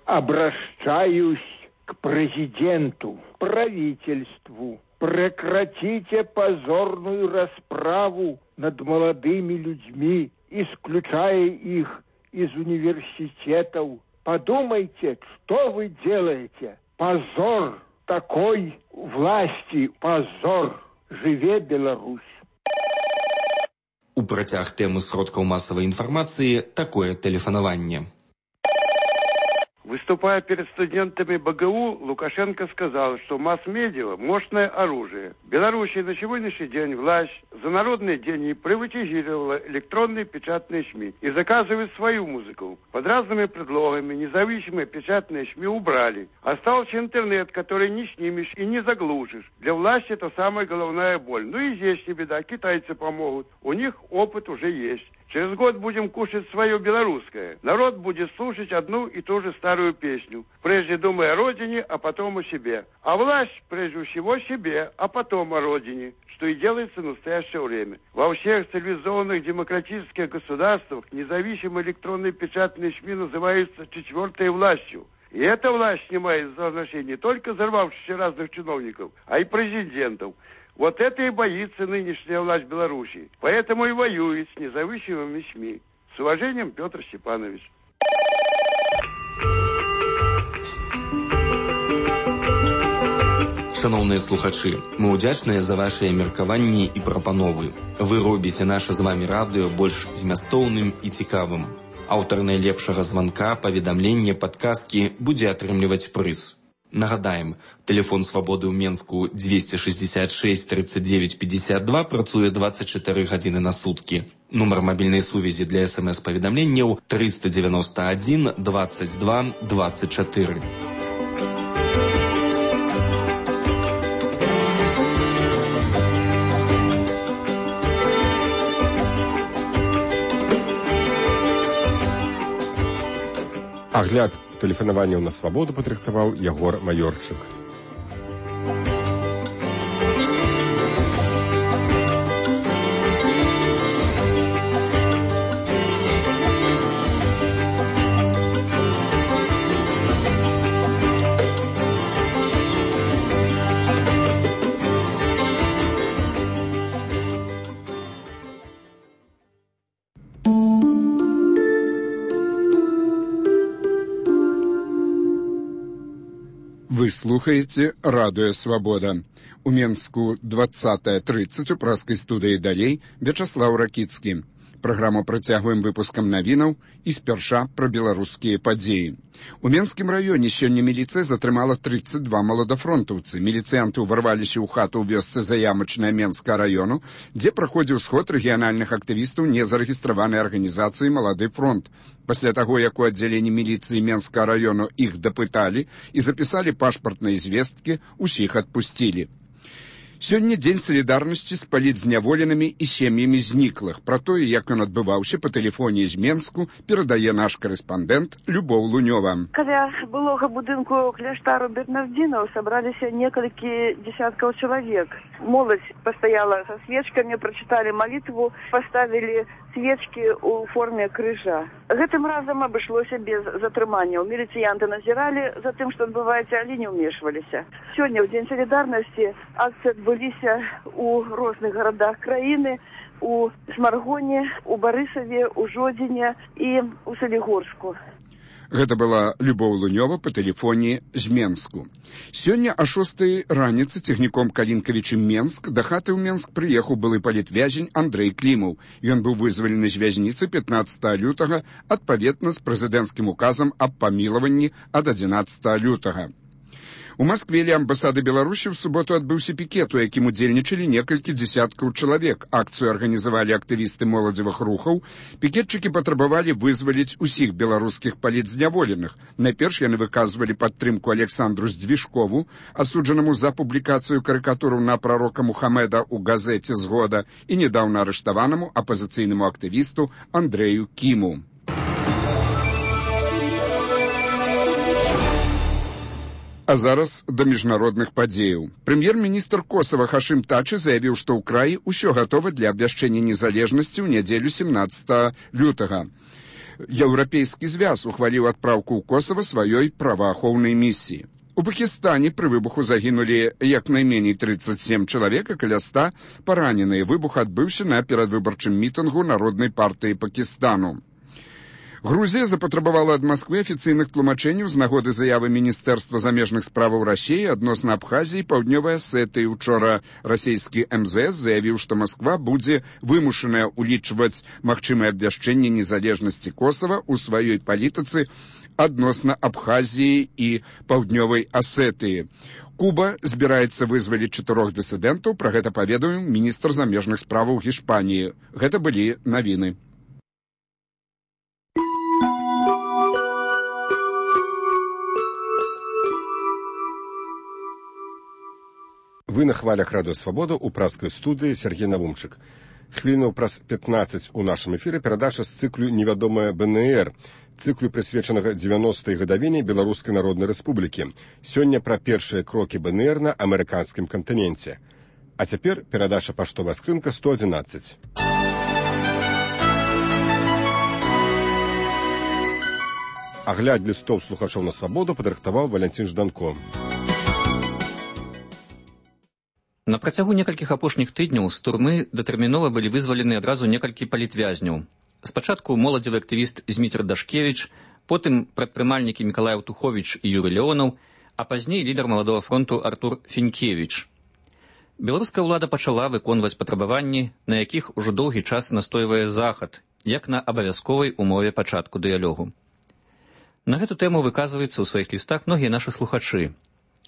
Обращаюсь к президенту, правительству. Прекратите позорную расправу над молодыми людьми, исключая их из университетов. Подумайте, что вы делаете. Позор такой власти, позор. Живе Беларусь. У працяг тэмы сродкаў масавай інфармацыі такое тэлефанаванне. Выступая перед студентами БГУ, Лукашенко сказал, что масс-медиа – мощное оружие. В Беларуси на сегодняшний день власть за народные деньги приватизировала электронные печатные СМИ и заказывает свою музыку. Под разными предлогами независимые печатные СМИ убрали. Остался интернет, который не снимешь и не заглушишь. Для власти это самая головная боль. Ну и здесь не беда, китайцы помогут. У них опыт уже есть. Через год будем кушать свое белорусское. Народ будет слушать одну и ту же старую песню. Прежде думая о родине, а потом о себе. А власть прежде всего себе, а потом о родине, что и делается в настоящее время. Во всех цивилизованных демократических государствах независимые электронные печатные СМИ называются четвертой властью. И эта власть снимает за отношения не только взорвавшихся разных чиновников, а и президентов. Вот это и боится нынешняя власть Беларуси. Поэтому и воюет с независимыми СМИ. С уважением, Петр Степанович. Шановныя слухачы, мы ўдзячныя за вашыя меркаванні і прапановы. Вы робіце наша з вамі радыё больш змястоўным і цікавым. Аўтар найлепшага званка, паведамлення, падказкі будзе атрымліваць прыз. Нагадаем, тэлефон свабоды ў Менску 266 39 52 працуе 24 гадзіны на суткі. Нумар мабільнай сувязі для СМС-паведамленняў 391 22 24. Агляд тэлефанаванняў на свабоду падрыхтаваў Ягор Маёрчык. Вы слухаете «Радио Свобода». У Менску 20:30 у праскай студыі далей Вячаслаў Ракіцкі. Праграму працягваем выпускам навінаў і спярша пра беларускія падзеі. У Менскім раёне сёння міліцыя затрымала 32 маладафронтаўцы. Міліцыянты ўварваліся ў хату ў вёсцы Заямачная Менскага раёну, дзе праходзіў сход рэгіянальных актывістаў незарэгістраванай арганізацыі «Малады фронт». Пасля таго, як у аддзяленні міліцыі Менскага раёну іх дапыталі і запісалі пашпартныя звесткі, усіх адпусцілі. Сёння дзень салідарнасці з палітзняволенымі і сем'ямі зніклых. Пра тое, як ён адбываўся па тэлефоне з Менску, перадае наш корэспандэнт Любоў Лунёва. Каля былога будынку кляштару бернардзінаў сабраліся некалькі дзесяткаў чалавек. Моладзь пастаяла са свечкамі, прачыталі малітву, паставілі свечкі ў форме крыжа. Гэтым разам абышлося без затрыманняў. Міліцыянты назіралі за тым, што адбываецца, але не ўмешваліся. Сёння, ў дзень салідарнасці, акцыі адбыліся ў розных гарадах краіны, у Смаргоне, у Барысаве, у Жодзіне і ў Салігорску. Гэта была Любоў Лунёва па тэлефоне з Менску. Сёння о 6 раніцы цягніком Калінкавічы Менск да хаты ў Менск прыехаў былы палітвязень Андрэй Клімаў. Ён быў вызвалены з вязніцы 15 лютага адпаведна з прэзідэнцкім указам аб памілаванні ад 11 лютага. У Маскве ля амбасады Беларусі ў суботу адбыўся пікет, у якім удзельнічалі некалькі дзесяткаў чалавек. Акцыю арганізавалі актывісты моладзевых рухаў. Пікетчыкі патрабавалі вызваліць усіх беларускіх палітзняволеных. Найперш яны выказвалі падтрымку Александру Здвижкову, асуджанаму за публікацыю карыкатураў на прарока Мухамеда ў газеце «Згода» і нядаўна арыштаванаму апазіцыйнаму актывісту Андрэю Кіму. А зараз да міжнародных падзеяў. Прэм'ер-міністр Косава Хашым Тачы заявіў, што ў краі ўсё гатова для абвяшчэння незалежнасці ў нядзелю 17 лютага. Еўрапейскі звяз ухваліў адпраўку ў Косава сваёй праваахоўнай місіі. У Пакістане пры выбуху загінулі як найменей 37 чалавек, а каля 100 параненыя. Выбух адбыўся на перадвыбарчым мітынгу Народнай партыі Пакістану. Грузія запатрабавала ад Масквы афіцыйных тлумачэнняў з нагоды заявы Міністэрства замежных справаў Расіі адносна Абхазіі і Паўднёвай Асетыі. Учора расійскі МЗС заявіў, што Масква будзе вымушаная ўлічваць магчымае абвяшчэнне незалежнасці Косава ў сваёй палітыцы адносна Абхазіі і Паўднёвай Асетыі. Куба збіраецца вызваліць 4 дысідэнтаў, пра гэта паведаміў міністр замежных справаў Гішпаніі. Гэта былі навіны. Вы на хвалях «Радио Свобода» у праскай студыі Сергей Навумчык. Хвілінаў праз 15 у нашым эфіры перадача з цыклю «Невядомая БНР», цыклю, прысвечанага 90-й гадавіне Беларускай Народнай Рэспублікі. Сёння пра першыя крокі БНР на амерыканскім кантыненце. А цяпер перадача паштовая скрынка 111. Агляд лістоў слухачоў на свабоду падрыхтаваў Валянцін Жданко. На працягу некалькіх апошніх тыдняў з турмы датэрмінова былі вызвалены адразу некалькі палітвязняў. Спачатку моладзевы актывіст Зміцер Дашкевіч, потым прадпрымальнікі Мікалай Аўтуховіч і Юрый Леонаў, а пазней лідар Маладога фронту Артур Фінкевіч. Беларуская ўлада пачала выконваць патрабаванні, на якіх ужо доўгі час настойвае Захад, як на абавязковай умове пачатку дыялогу. На гэту тэму выказваюцца ў сваіх лістах многія нашы слухачы.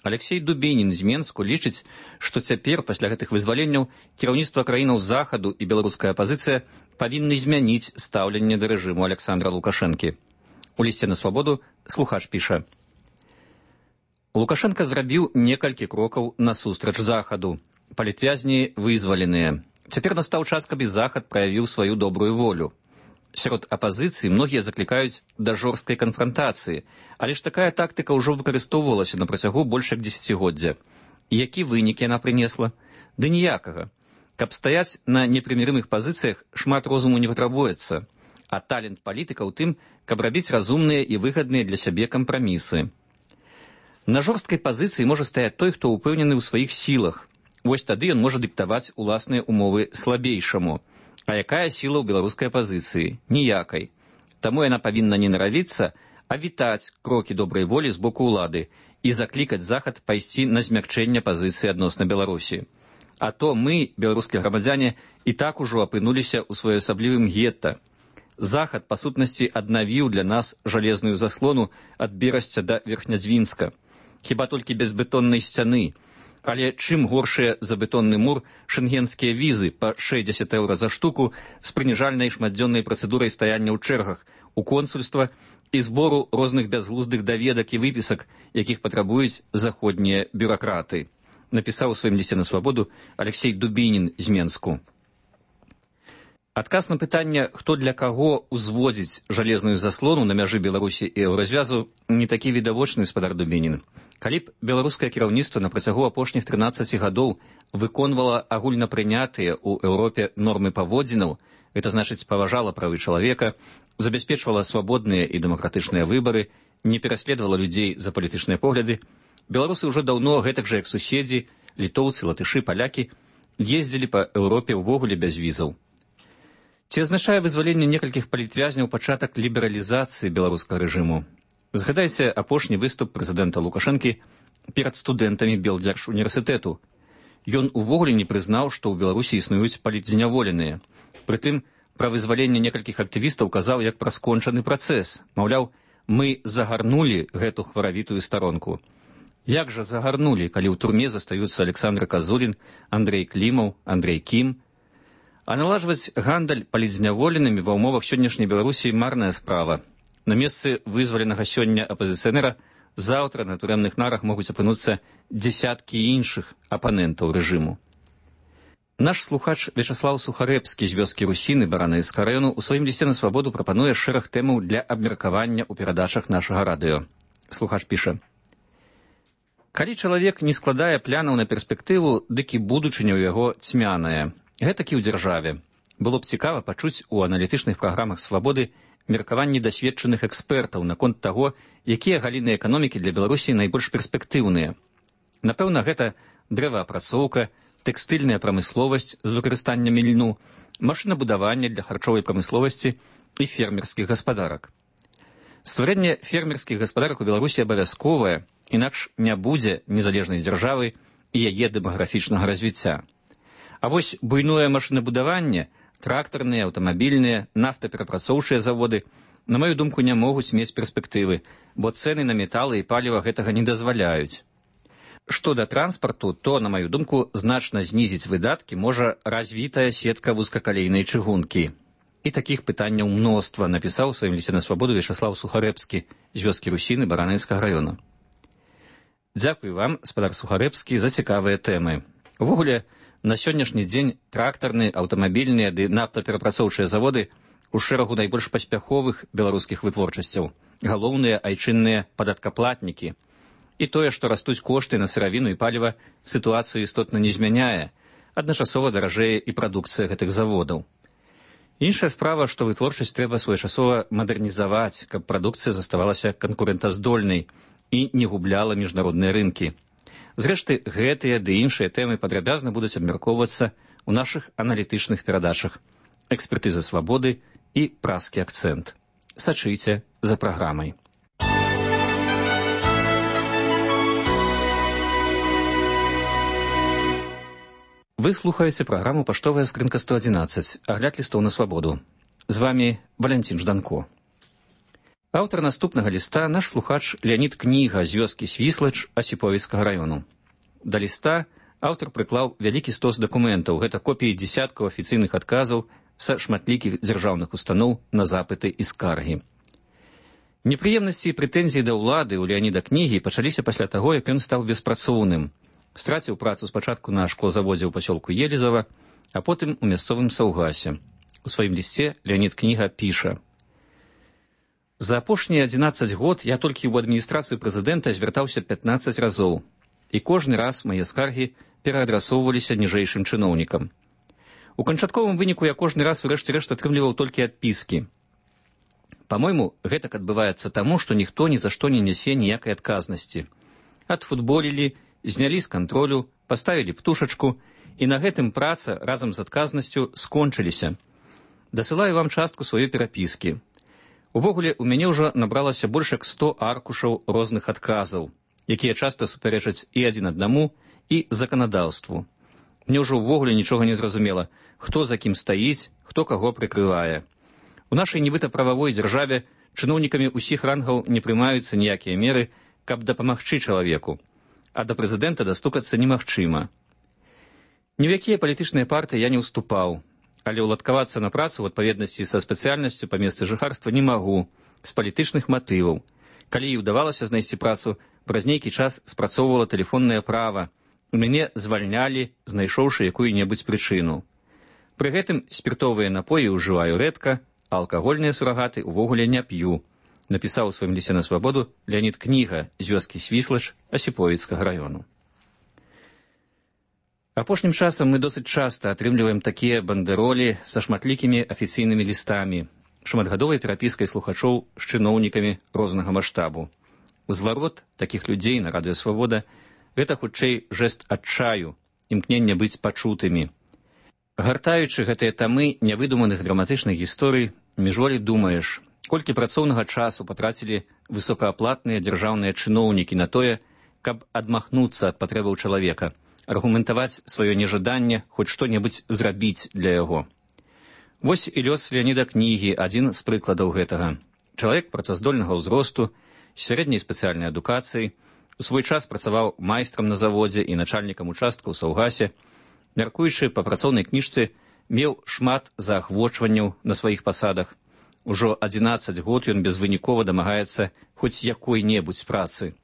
Алексей Дубінін з Менску лічыць, што цяпер, пасля гэтых вызваленняў, кіраўніцтва краінаў Захаду і беларуская апазіцыя павінны змяніць стаўленне да рэжыму Александра Лукашэнкі. У лісце на свабоду слухач піша: Лукашенко зрабіў некалькі крокаў насустрач Захаду. Палітвязні вызваленыя. Цяпер настаў час, каб і Захад праявіў сваю добрую волю. Сярод апазіцыі многія заклікаюць да жорсткай канфрантацыі, але ж такая тактыка ўжо выкарыстоўвалася на працягу больш як дзесяцігоддзя. Які вынік яна прынесла? Ды ніякага. Каб стаяць на непрымірымых пазіцыях, шмат розуму не патрабуецца, а талент палітыка ў тым, каб рабіць разумныя і выгадныя для сябе кампрамісы. На жорсткай пазіцыі можа стаяць той, хто ўпэўнены ў сваіх сілах. Вось тады ён можа дыктаваць уласныя умовы слабейшаму. А якая сіла ў беларускай апазіцыі? Ніякай. Таму яна павінна не наравіцца, а вітаць крокі добрай волі з боку ўлады і заклікаць Захад пайсці на змякчэнне пазіцыі адносна Беларусі. А то мы, беларускія грамадзяне, і так ужо апынуліся ў своеасаблівым гетта. Захад, па сутнасці, аднавіў для нас жалезную заслону ад Берасця да Верхнядзвінска. Хіба толькі без бетоннай сцяны. Але чым горшыя за бетонны мур шэнгенскія візы па 60 еўра за штуку з прыніжальнай шматдзённай працэдурай стаяння ў чэргах у консульства і збору розных бязглуздых даведак і выпісак, якіх патрабуюць заходнія бюракраты, напісаў у сваім лісце на свабоду Алексей Дубінін з Менску. Адказ на пытанне, хто для каго ўзводзіць жалезную заслону на мяжы Беларусі і еўразвязу, не такі відавочны, спадар Дубінін. Калі б беларускае кіраўніцтва на працягу апошніх 13 гадоў выконвала агульнапрынятыя ў Еўропе нормы паводзінаў, гэта значыць паважала правы чалавека, забяспечвала свабодныя і дэмакратычныя выбары, не пераследавала людзей за палітычныя погляды, беларусы ўжо даўно, гэтак жа як суседзі, літоўцы, латышы, палякі, ездзілі па Еўропе ўвогуле без візаў. Ці азначае вызваленне некалькіх палітвязняў пачатак лібералізацыі беларускага рэжыму? Згадайце апошні выступ прэзідэнта Лукашэнкі перад студэнтамі Белдзяржуніверсітэту. Ён увогуле не прызнаў, што ў Беларусі існуюць палітзняволеныя. Прытым, пра вызваленне некалькіх актывістаў казаў як пра скончаны працэс. Маўляў, мы загарнулі гэту хваравітую старонку. Як жа загарнулі, калі ў турме застаюцца Александр Казулін, Андрэй Клімаў, Андрэй Кім? А налажваць гандаль палітзняволенымі ва ўмовах сённяшняй Беларусі марная справа. На месцы вызваленага сёння апазіцыянера заўтра на турэмных нарах могуць апынуцца дзесяткі іншых апанентаў рэжыму. Наш слухач Вячаслаў Сухарэбскі з вёскі Русіны Баранаўскага раёну ў сваім лісце на свабоду прапануе шэраг тэмаў для абмеркавання ў перадачах нашага радыё. Слухач піша: калі чалавек не складае планаў на перспектыву, дык і будучыня ў яго цьмяная. Гэтакі ў дзяржаве. Было б цікава пачуць у аналітычных праграмах свабоды меркаванні дасведчаных экспертаў наконт таго, якія галіны эканомікі для Беларусі найбольш перспектыўныя. Напэўна, гэта дрэваапрацоўка, тэкстыльная прамысловасць з выкарыстаннем льну, машынабудаванне для харчовай прамысловасці і фермерскіх гаспадарак. Стварэнне фермерскіх гаспадарак у Беларусі абавязковае, інакш не будзе незалежнай дзяржавы і яе дэмаграфічнага развіцця. А вось буйное машынабудаванне, трактарныя, аўтамабільныя, нафтаперапрацоўчыя заводы, на маю думку, не могуць мець перспектывы, бо цэны на металы і паліва гэтага не дазваляюць. Што да транспарту, то, на маю думку, значна знізіць выдаткі можа развітая сетка вузкакалейнай чыгункі. І такіх пытанняў мноства, напісаў у сваім лісце на свабоду Вячаслаў Сухарэбскі з вёскі Русіны Баранаўскага раёна. Дзякуй вам, спадар Сухарэбскі, за цікавыя тэмы. Увогуле, на сённяшні дзень трактарныя, аўтамабільныя ды нафтаперапрацоўчыя заводы у шэрагу найбольш паспяховых беларускіх вытворчасцяў, галоўныя айчынныя падаткаплатнікі. І тое, што растуць кошты на сыравіну і паліва, сітуацыю істотна не змяняе, адначасова даражэе і прадукцыя гэтых заводаў. Іншая справа, што вытворчасць трэба своечасова мадэрнізаваць, каб прадукцыя заставалася канкурэнтаздольнай і не губляла міжнародныя рынкі. Зрэшты, гэтыя ды іншыя тэмы падрабязна будуць абмяркоўвацца ў нашых аналітычных перадачах «Экспертыза свабоды» і «Празкі акцэнт». Сачыйце за праграмай. Вы слухаеце праграму «Паштовая скрынка 111», агляд лістоў на свабоду. З вамі Валянцін Жданко. Аўтар наступнага ліста наш слухач Леонид Кніга з вёскі Свіслач Асіповіцкага раёну. Да ліста аўтар прыклаў вялікі стос дакументаў, гэта копіі дзесяткаў афіцыйных адказаў са шматлікіх дзяржаўных устаноў на запыты і скаргі. Непрыемнасці і прэтэнзіі да ўлады ў Леоніда Кнігі пачаліся пасля таго, як ён стаў беспрацоўным. Страціў працу спачатку на шклозаводзе ў пасёлку Елізава, а потым у мясцовым Саўгасе. У сваім лісце Леонід Кніга піша: «За апошнія 11 год я толькі ў адміністрацыю прэзідэнта звяртаўся 15 разоў, і кожны раз мае скаргі пераадрасоўваліся ніжэйшым чыноўнікам. У канчатковым выніку я кожны раз урэшце рэшт атрымліваў толькі адпіскі. Па-мойму, гэтак адбываецца таму, што ніхто ні за што не нясе ніякай адказнасці. Адфутболілі, знялі з кантролю, паставілі птушачку, і на гэтым праца разам з адказнасцю скончыліся. Дасылаю вам частку сваёй перапіскі. Увогуле, у мяне ўжо набралася больш як 100 аркушаў розных адказаў, якія часта супярэчаць і адзін аднаму, і заканадаўству. Мне ўжо ўвогуле нічога не зразумела, хто за кім стаіць, хто каго прыкрывае. У нашай нібыта прававой дзяржаве чыноўнікамі ўсіх рангаў не прымаюцца ніякія меры, каб дапамагчы чалавеку, а да прэзідэнта дастукацца немагчыма. Ні ў якія палітычныя партыі я не ўступаў, але ўладкавацца на працу ў адпаведнасці са спецыяльнасцю па месцы жыхарства не магу, з палітычных матываў. Калі і ўдавалася знайсці працу, праз нейкі час спрацоўвала тэлефоннае права. У мяне звальнялі, знайшоўшы якую-небудзь прычыну. Пры гэтым спіртовыя напоі ўжываю рэдка, а алкагольныя сурагаты ўвогуле не п'ю, напісаў у сваім лісце на свабоду Леонід Кніга з вёскі Свіслач Асіповіцкага раёну. Апошнім часам мы досыць часта атрымліваем такія бандэролі са шматлікімі афіцыйнымі лістамі, шматгадовай перапіскай слухачоў з чыноўнікамі рознага маштабу. Зварот такіх людзей на радыё «Свабода» — гэта хутчэй жэст адчаю, імкнення быць пачутымі. Гартаючы гэтыя тамы нявыдуманых драматычных гісторый, міжволі думаеш, колькі працоўнага часу патрацілі высокааплатныя дзяржаўныя чыноўнікі на тое, каб адмахнуцца ад патрэбаў чалавека, аргументаваць сваё нежаданне, хоць што-небудзь зрабіць для яго. Вось і лёс Леоніда Кнігі, адзін з прыкладаў гэтага. Чалавек працаздольнага ўзросту, сярэдняй спецыяльнай адукацыі, у свой час працаваў майстрам на заводзе і начальнікам участка ў Саўгасе, мяркуючы па працоўнай кніжцы, меў шмат заахвочванняў на сваіх пасадах. Ужо 11 год ён безвынікова дамагаецца хоць якой-небудзь працы.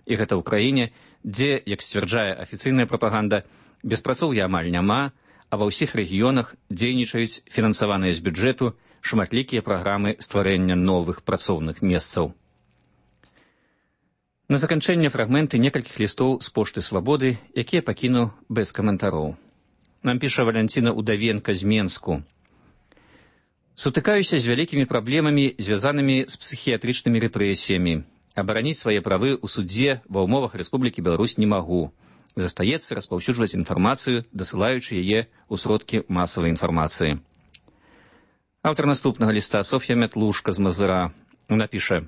І гэта ў краіне, дзе, як сцвярджае афіцыйная прапаганда, беспрацоўя амаль няма, а ва ўсіх рэгіёнах дзейнічаюць фінансаваныя з бюджэту шматлікія праграмы стварэння новых працоўных месцаў. На заканчэнне фрагменты некалькіх лістоў з пошты «Свабоды», якія пакіну без каментароў. Нам піша Валянціна Удавенка з Менску. «Сутыкаюся з вялікімі праблемамі, звязанымі з псіхіятрычнымі рэпрэсіямі. Абараніць свае правы ў судзе ва ўмовах Рэспублікі Беларусь не магу. Застаецца распаўсюджваць інфармацыю, дасылаючы яе ў сродкі масавай інфармацыі». Аўтар наступнага ліста Соф'я Мятлушка з Мазыра. Она піша: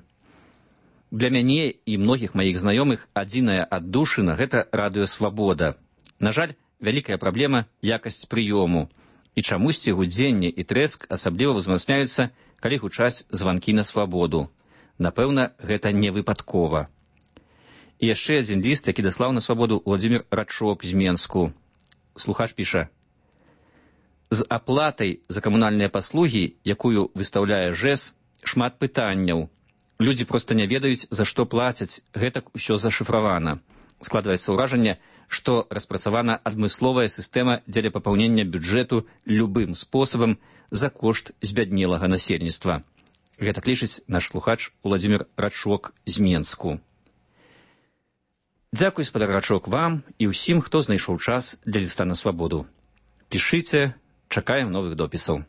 «Для мяне і многіх маіх знаёмых адзіная аддушына — гэта радыё «Свабода». На жаль, вялікая праблема — якасць прыёму. І чамусьці гудзенне і трэск асабліва ўзмацняюцца, калі гучаць званкі на свабоду. Напэўна, гэта не выпадкова». І яшчэ адзін ліст, які даслаў на свабоду Владзімір Рачок з Менску. Слухач піша: «З аплатай за камунальныя паслугі, якую выстаўляе ЖЭС, шмат пытанняў. Людзі проста не ведаюць, за што плацяць, гэтак усё зашыфравана. Складваецца ўражанне, што распрацавана адмысловая сістэма дзеля папаўнення бюджэту любым спосабам за кошт збяднелага насельніцтва». Гэтак лічыць наш слухач Владзімір Рачок з Менску. Дзякуй, спадар Рачок, вам і ўсім, хто знайшоў час для ліста на свабоду. Пішыце, чакаем новых допісаў.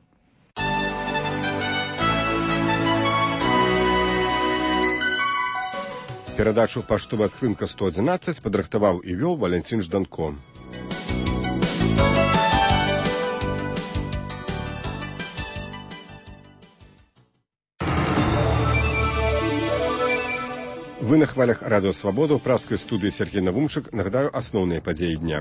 Перадачу «Паштовая скрынка 111» падрыхтаваў і вёў Валянцін Жданко. Вы на хвалях радыё «Свабода» ў праскай студыі Сергей Навумчык. Нагадаю, асноўныя падзеі дня.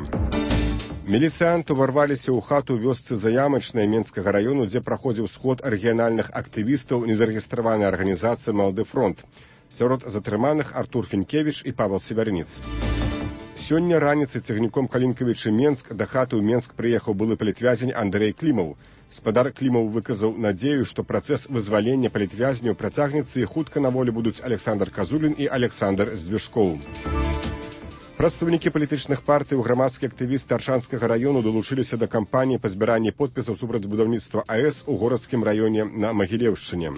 Міліцыянты ўварваліся ў хату вёсцы Заямачнай Менскага раёну, дзе праходзіў сход рэгіянальных актывістаў незарэгістраванай арганізацыі «Малады фронт». Сярод затрыманых Артур Фінкевіч і Павел Севярніц. Сёння раніцай цягніком Калінкавічы Менск да хаты ў Менск прыехаў былы палітвязень Андрэй Клімаў. Спадар Клімаў выказаў надзею, што працэс вызвалення палітвязняў працягнецца і хутка на волі будуць Александр Казулін і Александр Звешкоў. Прадстаўнікі палітычных партый і грамадскія актывісты Аршанскага раёну далучыліся да кампаніі па збіранні подпісаў супраць будаўніцтва АЭС у горадскім раёне на Магілеўшчыне.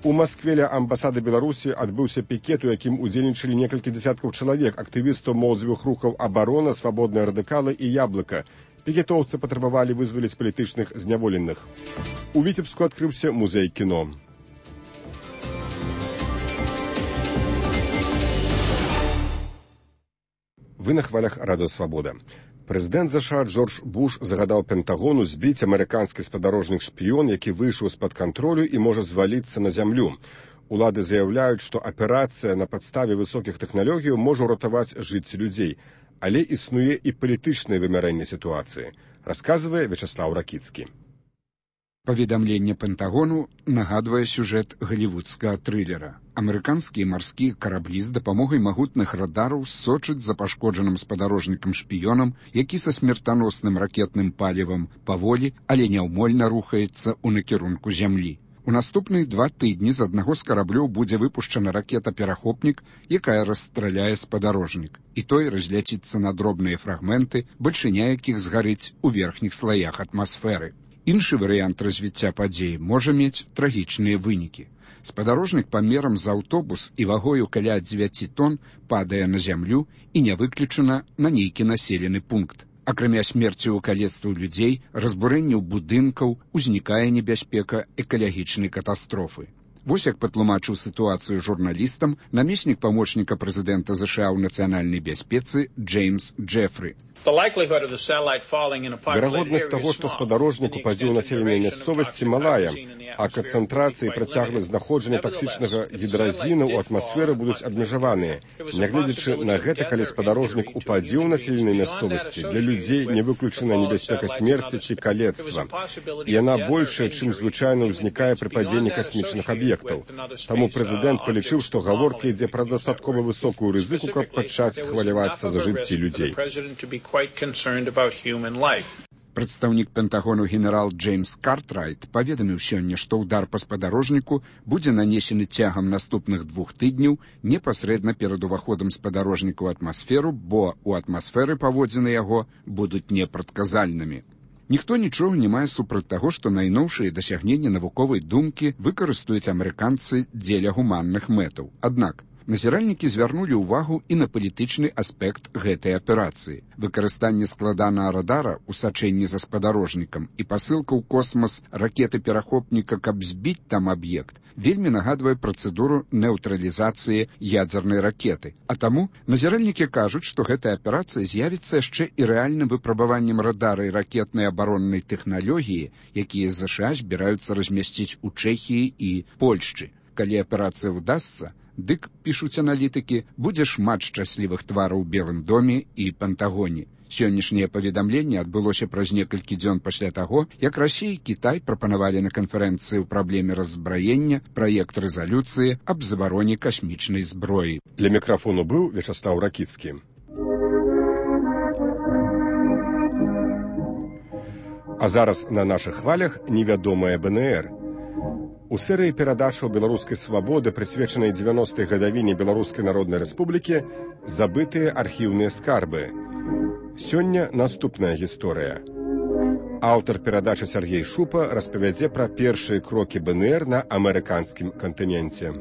У Маскве ля амбасады Беларусі адбыўся пікет, у якім удзельнічалі некалькі дзясяткаў чалавек, актывістаў моладзевых рухаў «Абарона», «Свабодныя радыкалы» і «Яблыка». Пікетоўцы патрабавалі вызваліць палітычных зняволеных. У Віцебску адкрыўся музей кіно. Вы на хвалях радыё «Свабода». Прэзідэнт ЗША Джордж Буш загадаў Пентагону збіць амерыканскі спадарожнік-шпіён, які выйшаў з-пад кантролю і можа зваліцца на зямлю. Улады заяўляюць, што аперацыя на падставе высокіх тэхналогій можа ўратаваць жыцці людзей. Але існуе і палітычнае вымярэнне сітуацыі, расказвае Вячаслаў Ракіцкі. Паведамленне Пентагону нагадвае сюжэт галівудскага трылера. Амерыканскія марскія караблі з дапамогай магутных радараў сочаць за пашкоджаным спадарожнікам-шпіёнам, які са смертаносным ракетным палівам паволі, але няўмольна рухаецца ў накірунку зямлі. У наступныя 2 тыдні з аднаго з караблёў будзе выпушчана ракета-перахопнік, якая расстраляе спадарожнік, і той разляціцца на дробныя фрагменты, бальшыня якіх згарыць у верхніх слаях атмасферы. Іншы варыянт развіцця падзей можа мець трагічныя вынікі. Спадарожнік памерам з аўтобус і вагою каля 9 тонн падае на зямлю і не выключана на нейкі населены пункт. Акрамя смерці ў калецтву людзей, разбурэнняў будынкаў, узнікае небяспека экалагічнай катастрофы. Вось як патлумачыў сітуацыю журналістам намеснік памочніка прэзідэнта ЗША ў нацыянальнай бяспецы Джеймс Джефры. Верагоднасць таго, што спадарожнік упадзе ў населенай мясцовасці, малая, а канцэнтрацыі і працягласць знаходжання таксічнага гідразіну ў атмасферы будуць абмежаваныя. Нягледзячы на гэта, калі спадарожнік упадзе ў населенай мясцовасці, для людзей не выключана небяспека смерці ці калецтва. Яна большая, чым звычайна ўзнікае пры падзенні касмічных аб'ектаў. Таму прэзідэнт палічыў, што гаворка ідзе пра дастаткова высокую рызыку, каб пачаць хвалявацца за жыцці людзей. Прадстаўнік Пентагону генерал Джеймс Картрайт паведаміў сёння, што ўдар па спадарожніку будзе нанесены цягам наступных 2 тыдняў непасрэдна перад уваходам спадарожніка ў атмасферу, бо ў атмасферы паводзіны яго будуць непрадказальнымі. Ніхто нічога не мае супраць таго, што найноўшыя дасягненні навуковай думкі выкарыстаюць амерыканцы дзеля гуманных мэтаў. Аднак назіральнікі звярнулі ўвагу і на палітычны аспект гэтай аперацыі. Выкарыстанне складанага радара ў сачэнні за спадарожнікам і пасылка ў космас ракеты-перахопніка, каб збіць там аб'ект, вельмі нагадвае працэдуру неўтралізацыі ядзернай ракеты. А таму назіральнікі кажуць, што гэтая аперацыя з'явіцца яшчэ і рэальным выпрабаваннем радара і ракетнай абароннай тэхналогіі, якія ЗША збіраюцца размясціць у Чэхіі і Польшчы. Калі аперацыя ўдасца, дык, пішуць аналітыкі, будзе шмат шчаслівых твараў у Белым доме і Пентагоне. Сённяшняе паведамленне адбылося праз некалькі дзён пасля таго, як Расія і Кітай прапанавалі на канферэнцыі ў праблеме раззбраення праект рэзалюцыі аб забароне касмічнай зброі. Для мікрафону быў Вячаслаў Ракіцкі. А зараз на нашых хвалях невядомая БНР. У серыі перадачаў беларускай свабоды, прысвечанай 90-й гадавіне Беларускай Народнай Рэспублікі, забытыя архіўныя скарбы. Сёння наступная гісторыя. Аўтар перадачы Сергей Шупа распавядзе пра першыя крокі БНР на амерыканскім кантыненце.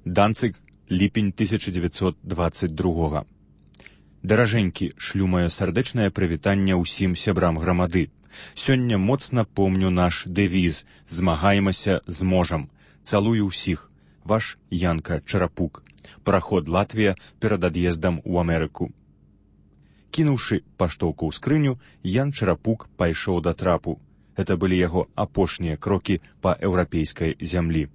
Данцыг, ліпень 1922. Даражэнькі, шлю маё сардэчнае прывітанне ўсім сябрам грамады. Сёння моцна помню наш дэвіз «Змагаемся, зможам». Цалую ўсіх. Ваш Янка Чарапук. Параход Латвія перад ад'ездам у Амерыку. Кінуўшы паштоўку ў скрыню, Ян Чарапук пайшоў да трапу. Гэта былі яго апошнія крокі па еўрапейскай зямлі.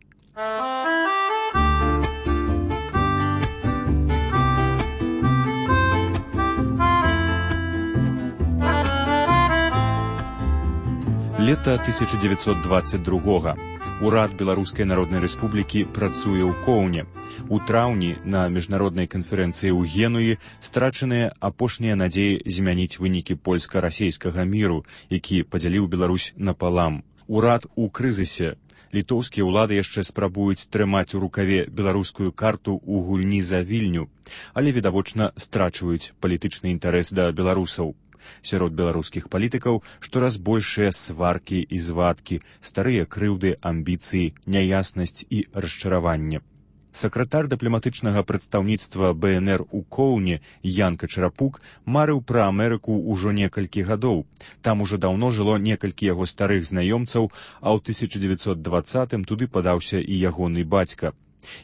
Лета 1922-го. Урад Беларускай Народнай Рэспублікі працуе ў Коўне. У траўні на міжнароднай канферэнцыі ў Генуі страчаныя апошнія надзеі змяніць вынікі польска-расейскага міру, які падзяліў Беларусь напалам. Урад у крызісе. Літоўскія ўлады яшчэ спрабуюць трымаць у рукаве беларускую карту ў гульні за Вільню, але відавочна страчваюць палітычны інтарэс да беларусаў. Сярод беларускіх палітыкаў штораз большыя сваркі і звадкі, старыя крыўды, амбіцыі, няяснасць і расчараванне. Сакратар дыпламатычнага прадстаўніцтва БНР у Коўне Ян Качарапук марыў пра Амерыку ўжо некалькі гадоў. Там ужо даўно жыло некалькі яго старых знаёмцаў, а ў 1920-м туды падаўся і ягоны бацька.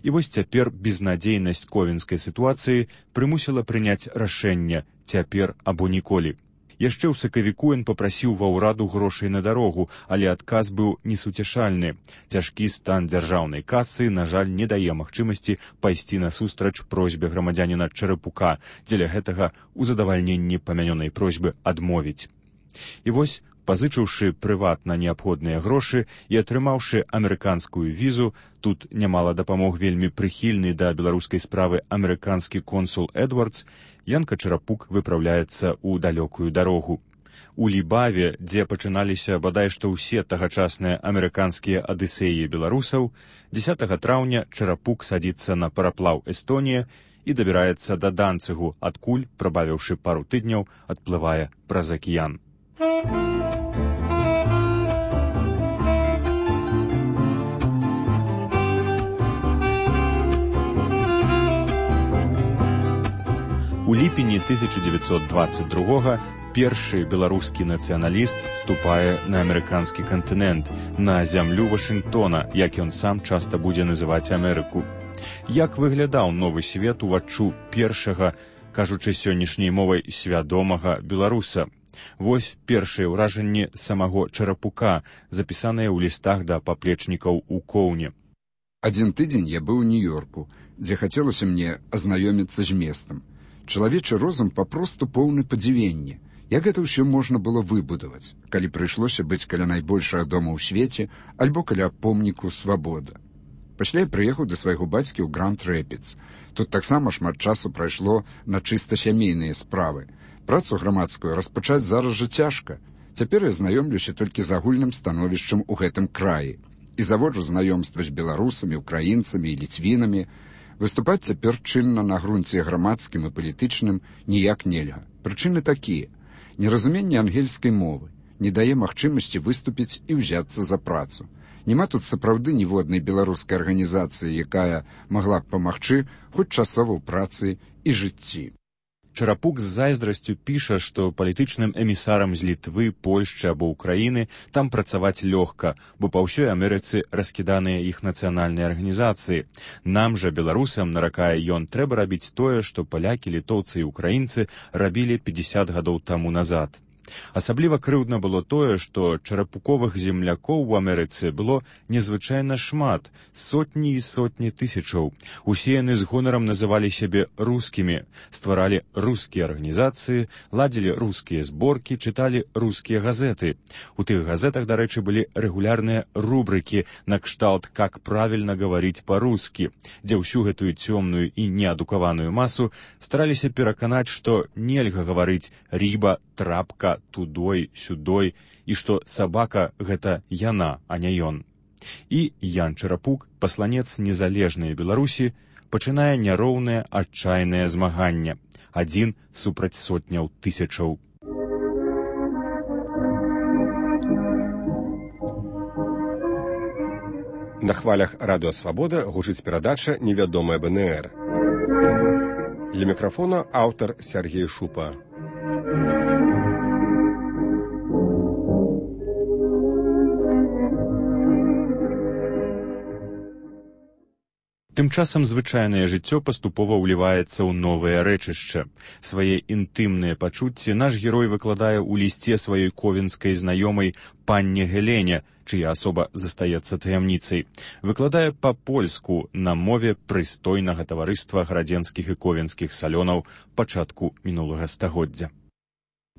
І вось цяпер безнадзейнасць ковенскай сітуацыі прымусіла прыняць рашэнне «цяпер або ніколі». Яшчэ ў сакавіку ён папрасіў ва ўраду грошай на дарогу, але адказ быў несуцяшальны. Цяжкі стан дзяржаўнай касы, на жаль, не дае магчымасці пайсці насустрач просьбе грамадзяніна Чарапука, дзеля гэтага ў задавальненні памянёнай просьбы адмовіць. І вось, пазычыўшы прыватна неабходныя грошы і атрымаўшы амерыканскую візу, тут нямала дапамог вельмі прыхільны да беларускай справы амерыканскі консул Эдвардс, Ян Качарапук выпраўляецца ў далёкую дарогу. У Лібаве, дзе пачыналіся бадай што ўсе тагачасныя амерыканскія адысеі беларусаў, 10 траўня Чарапук садзіцца на параплаў Эстонія і дабіраецца да Данцыгу, адкуль, прабавіўшы пару тыдняў, адплывае праз акіян. У ліпені 1922-го першы беларускі нацыяналіст ступае на амерыканскі кантынент, на зямлю Вашынгтона, як ён сам часта будзе называць Амерыку. Як выглядаў новы свет уваччу першага, кажучы сённяшняй мовай, свядомага беларуса? Вось першыя ўражанні самого Чарапука, запісаныя ў лістах да паплечнікаў у Коўне. Адзін тыдзень я быў у Нью-Йорку, дзе хацелася мне азнаёміцца з местам. Чалавечы розум папросту поўны падзівення. Як гэта ўсё можна было выбудаваць, калі прыйшлося быць каля найбольшага дома ў свеце альбо каля помніку «Свабода». Пасля я прыехаў да свайго бацькі ў Гранд-Рэпідс. Тут таксама шмат часу прайшло на чыста сямейныя справы. Працу грамадскую распачаць зараз жа цяжка. Цяпер я знаёмлюся толькі з агульным становішчам у гэтым краі і заводжу знаёмства з беларусамі, украінцамі і ліцвінамі. Выступаць цяпер чынна на грунце грамадскім і палітычным ніяк нельга. Прычыны такія. Неразуменне ангельскай мовы не дае магчымасці выступіць і ўзяцца за працу. Няма тут сапраўды ніводнай беларускай арганізацыі, якая магла б памагчы хоць часова ў працы і жыцці. Чарапук з зайздрасцю піша, што палітычным эмісарам з Літвы, Польшчы або Украіны там працаваць лёгка, бо па ўсёй Амерыцы раскіданыя іх нацыянальныя арганізацыі. Нам жа, беларусам, наракае ён, трэба рабіць тое, што палякі, літоўцы і украінцы рабілі 50 гадоў таму назад. Асабліва крыўдна было тое, што чарапуковых землякоў у Амерыцы было незвычайна шмат, сотні і сотні тысячаў. Усе яны з гонарам называлі сябе рускімі, стваралі рускія арганізацыі, ладзілі рускія зборкі, чыталі рускія газеты. У тых газетах, дарэчы, былі рэгулярныя рубрыкі накшталт «Как правильно говорить по-русски», дзе ўсю гэтую цёмную і неадукаваную масу стараліся пераканаць, што нельга гаварыць «рыба», «трапка», «тудой», «сюдой», і што сабака – гэта яна, а не ён. І Ян Чарапук, пасланец незалежнай Беларусі, пачынае няроўнае, адчайнае змаганне. Адзін супраць сотняў тысячаў. На хвалях радыё «Свабода» гучыць перадача «Невядомая БНР». Для мікрафона аўтар Сергей Шупа. Тым часам звычайнае жыццё паступова ўліваецца ў новае рэчышча. Свае інтымныя пачуцці наш герой выкладае ў лісце сваёй ковенскай знаёмай панне Гелене, чыя асоба застаецца таямніцай. Выкладае па-польску на мове прыстойнага таварыства градзенскіх і ковенскіх салёнаў пачатку мінулага стагоддзя.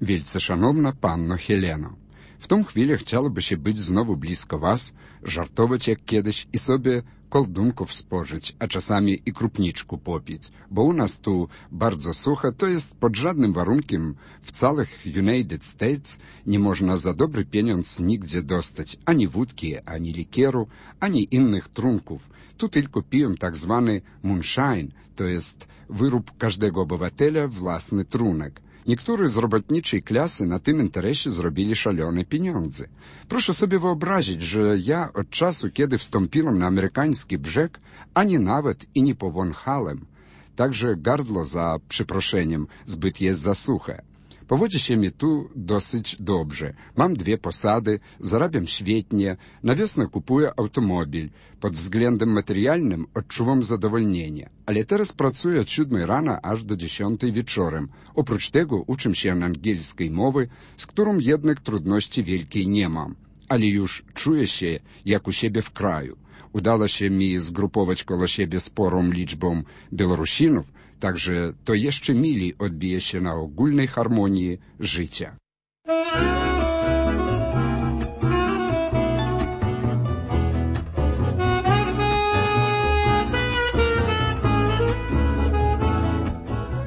Вельце шановна панно Хелено, W tą chwilę chciałoby się być znowu blisko was, żartować jak kiedyś i sobie koldunków spożyć, a czasami i krupniczku popić, bo u nas tu bardzo sucho, to jest pod żadnym warunkiem w całych United States nie można za dobry pieniądz nigdzie dostać ani wódki, ani likieru, ani innych trunków. Tu tylko piją tak zwany moonshine, to jest wyrób każdego obywatela własny trunek. Niektórzy z robotniczej klasy na tym interesie zrobili szalone pieniądze. Proszę sobie wyobrazić, że ja od czasu, kiedy wstąpiłem na amerykański brzeg, ani nawet i nie powąchałem. Także gardło, za przeproszeniem, zbyt jest za suche. Powodzi się mi tu dosyć dobrze. Mam 2 posady, zarabiam świetnie, na wiosnę kupuję automobil. Pod względem materialnym odczuwam zadowolnienie. Ale teraz pracuję od 7 rana aż do 10 wieczorem. Oprócz tego uczę się angielskiej mowy, z którą jednak trudności wielkiej nie mam. Ale już czuję się jak u siebie w kraju. Udało się mi zgrupować koło siebie sporą liczbą Białorusinów, także to jeszcze mili odbije się na ogólnej harmonii życia.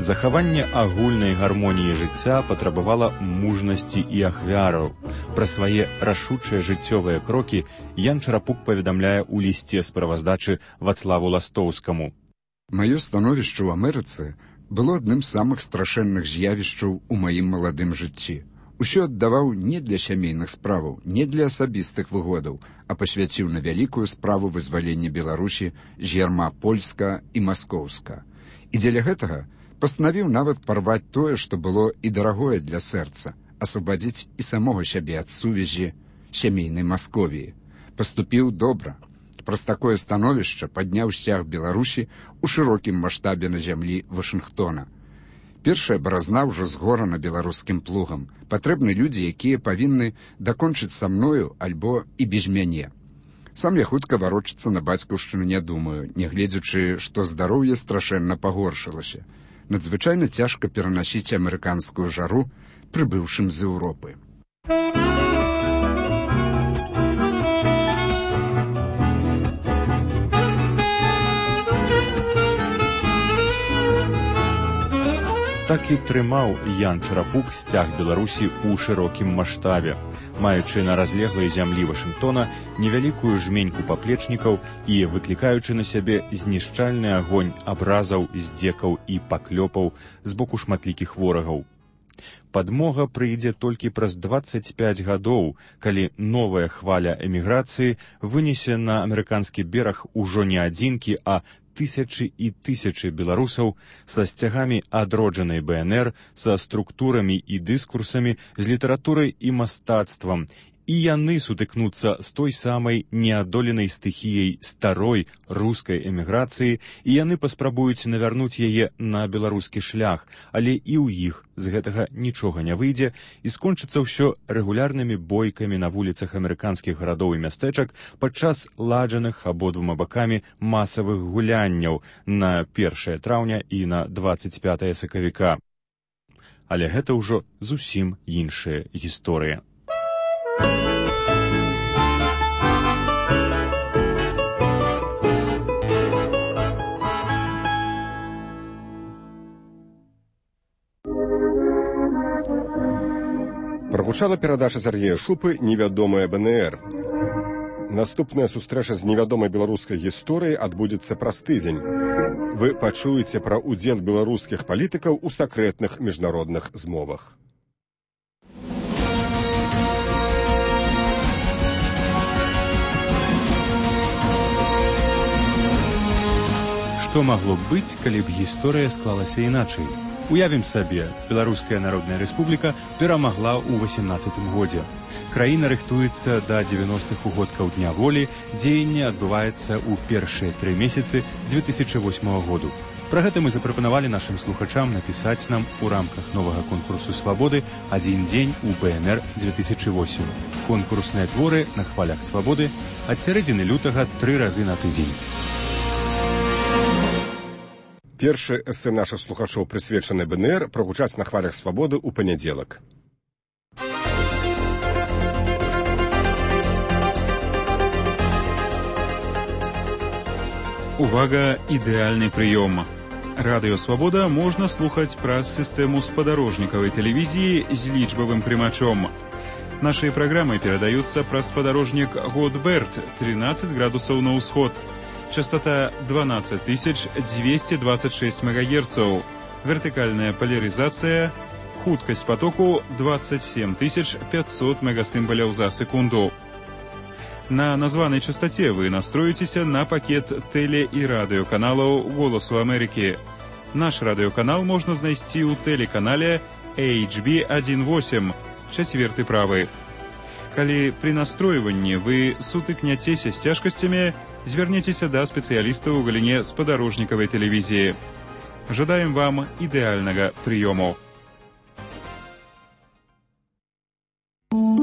Захаванне агульнай гармоніі жыцця патрабавала мужнасці і ахвяраў. Пра свае рашучыя жыццёвыя крокі Ян Чарапук паведамляе ў лісце справаздачы Вацлаву Ластоўскаму. Маё становішча ў Амерыцы было адным з самых страшэнных з'явішчаў у маім маладым жыцці. Усё аддаваў не для сямейных справаў, не для асабістых выгодаў, а пасвяціў на вялікую справу вызвалення Беларусі з ярма польска і маскоўска. І дзеля гэтага пастанавіў нават парваць тое, што было і дарагое для сэрца, асвабадзіць і самога сябе ад сувязі сямейнай Масковіі. Паступіў добра. Праз такое становішча падняў сцяг Беларусі ў шырокім маштабе на зямлі Вашынгтона. Першая баразна ўжо згорана беларускім плугам. Патрэбны людзі, якія павінны дакончыць са мною альбо і без мяне. Сам я хутка варочацца на бацькаўшчыну не думаю, нягледзячы, што здароўе страшэнна пагоршылася. Надзвычайна цяжка перанасіць амерыканскую жару, прыбыўшым з Еўропы. Так і трымаў Ян Чарапук сцяг Беларусі ў шырокім маштабе, маючы на разлеглай зямлі Вашынгтона невялікую жменьку паплечнікаў і выклікаючы на сябе знішчальны агонь абразаў, здзекаў і паклёпаў з боку шматлікіх ворагаў. Падмога прыйдзе толькі праз 25 гадоў, калі новая хваля эміграцыі вынесе на амерыканскі бераг ужо не адзінкі, а тысячы і тысячы беларусаў са сцягамі адроджанай БНР, са структурамі і дыскурсамі, з літаратурай і мастацтвам, і яны сутыкнуцца з той самай неадоленай стыхіяй старой рускай эміграцыі, і яны паспрабуюць навярнуць яе на беларускі шлях, але і ў іх з гэтага нічога не выйдзе, і скончыцца ўсё рэгулярнымі бойкамі на вуліцах амерыканскіх гарадоў і мястэчак падчас ладжаных абодвума бакамі масавых гулянняў на 1 траўня і на 25 сакавіка. Але гэта ўжо зусім іншая гісторыя. Прагучала перадача Сергея Шупы «Невядомая БНР». Наступная сустрэча з невядомай беларускай гісторыяй адбудзецца праз тыдзень. Вы пачуеце пра ўдзел беларускіх палітыкаў у сакрэтных міжнародных змовах. Што магло б быць, калі б гісторыя склалася іначай? Уявім сабе, Беларуская Народная Рэспубліка перамагла ў 18 годзе. Краіна рыхтуецца да 90-х угодкаў Дня волі, дзеянне адбываецца ў першыя 3 месяцы 2008 году. Пра гэта мы запрапанавалі нашым слухачам напісаць нам у рамках новага конкурсу «Свабоды» «Адзін дзень у БНР 2008». Конкурсныя творы на хвалях свабоды ад сярэдзіны лютага 3 разы на тыдзень. Першы эсэ нашых слухачоў, прысвечаны БНР, прагучаць на хвалях свабоды ў панядзелак. Увага, ідэальны прыём. Радыё «Свабода» можна слухаць праз сістэму спадарожнікавай тэлевізіі з лічбавым прымачом. Нашыя праграмы перадаюцца праз спадарожнік Годберт, 13 градусаў на ўсход. Частота 12226 МГц. Вертыкальная поляризация, хуткасць потоку 27500 мегасімбаляў за секунду. На названай частоце вы настроіцеся на пакет тэле- і радыёканалаў «Голасу Амерыкі». Наш радыёканал можна знайсці ў тэлеканале HB18, 4 правы. Калі пры настройванні вы сутыкняцеся з цяжкасцямі, звярніцеся да спецыялістаў у галіне спадарожнікавай тэлевізіі. Жадаем вам ідэальнага прыёму.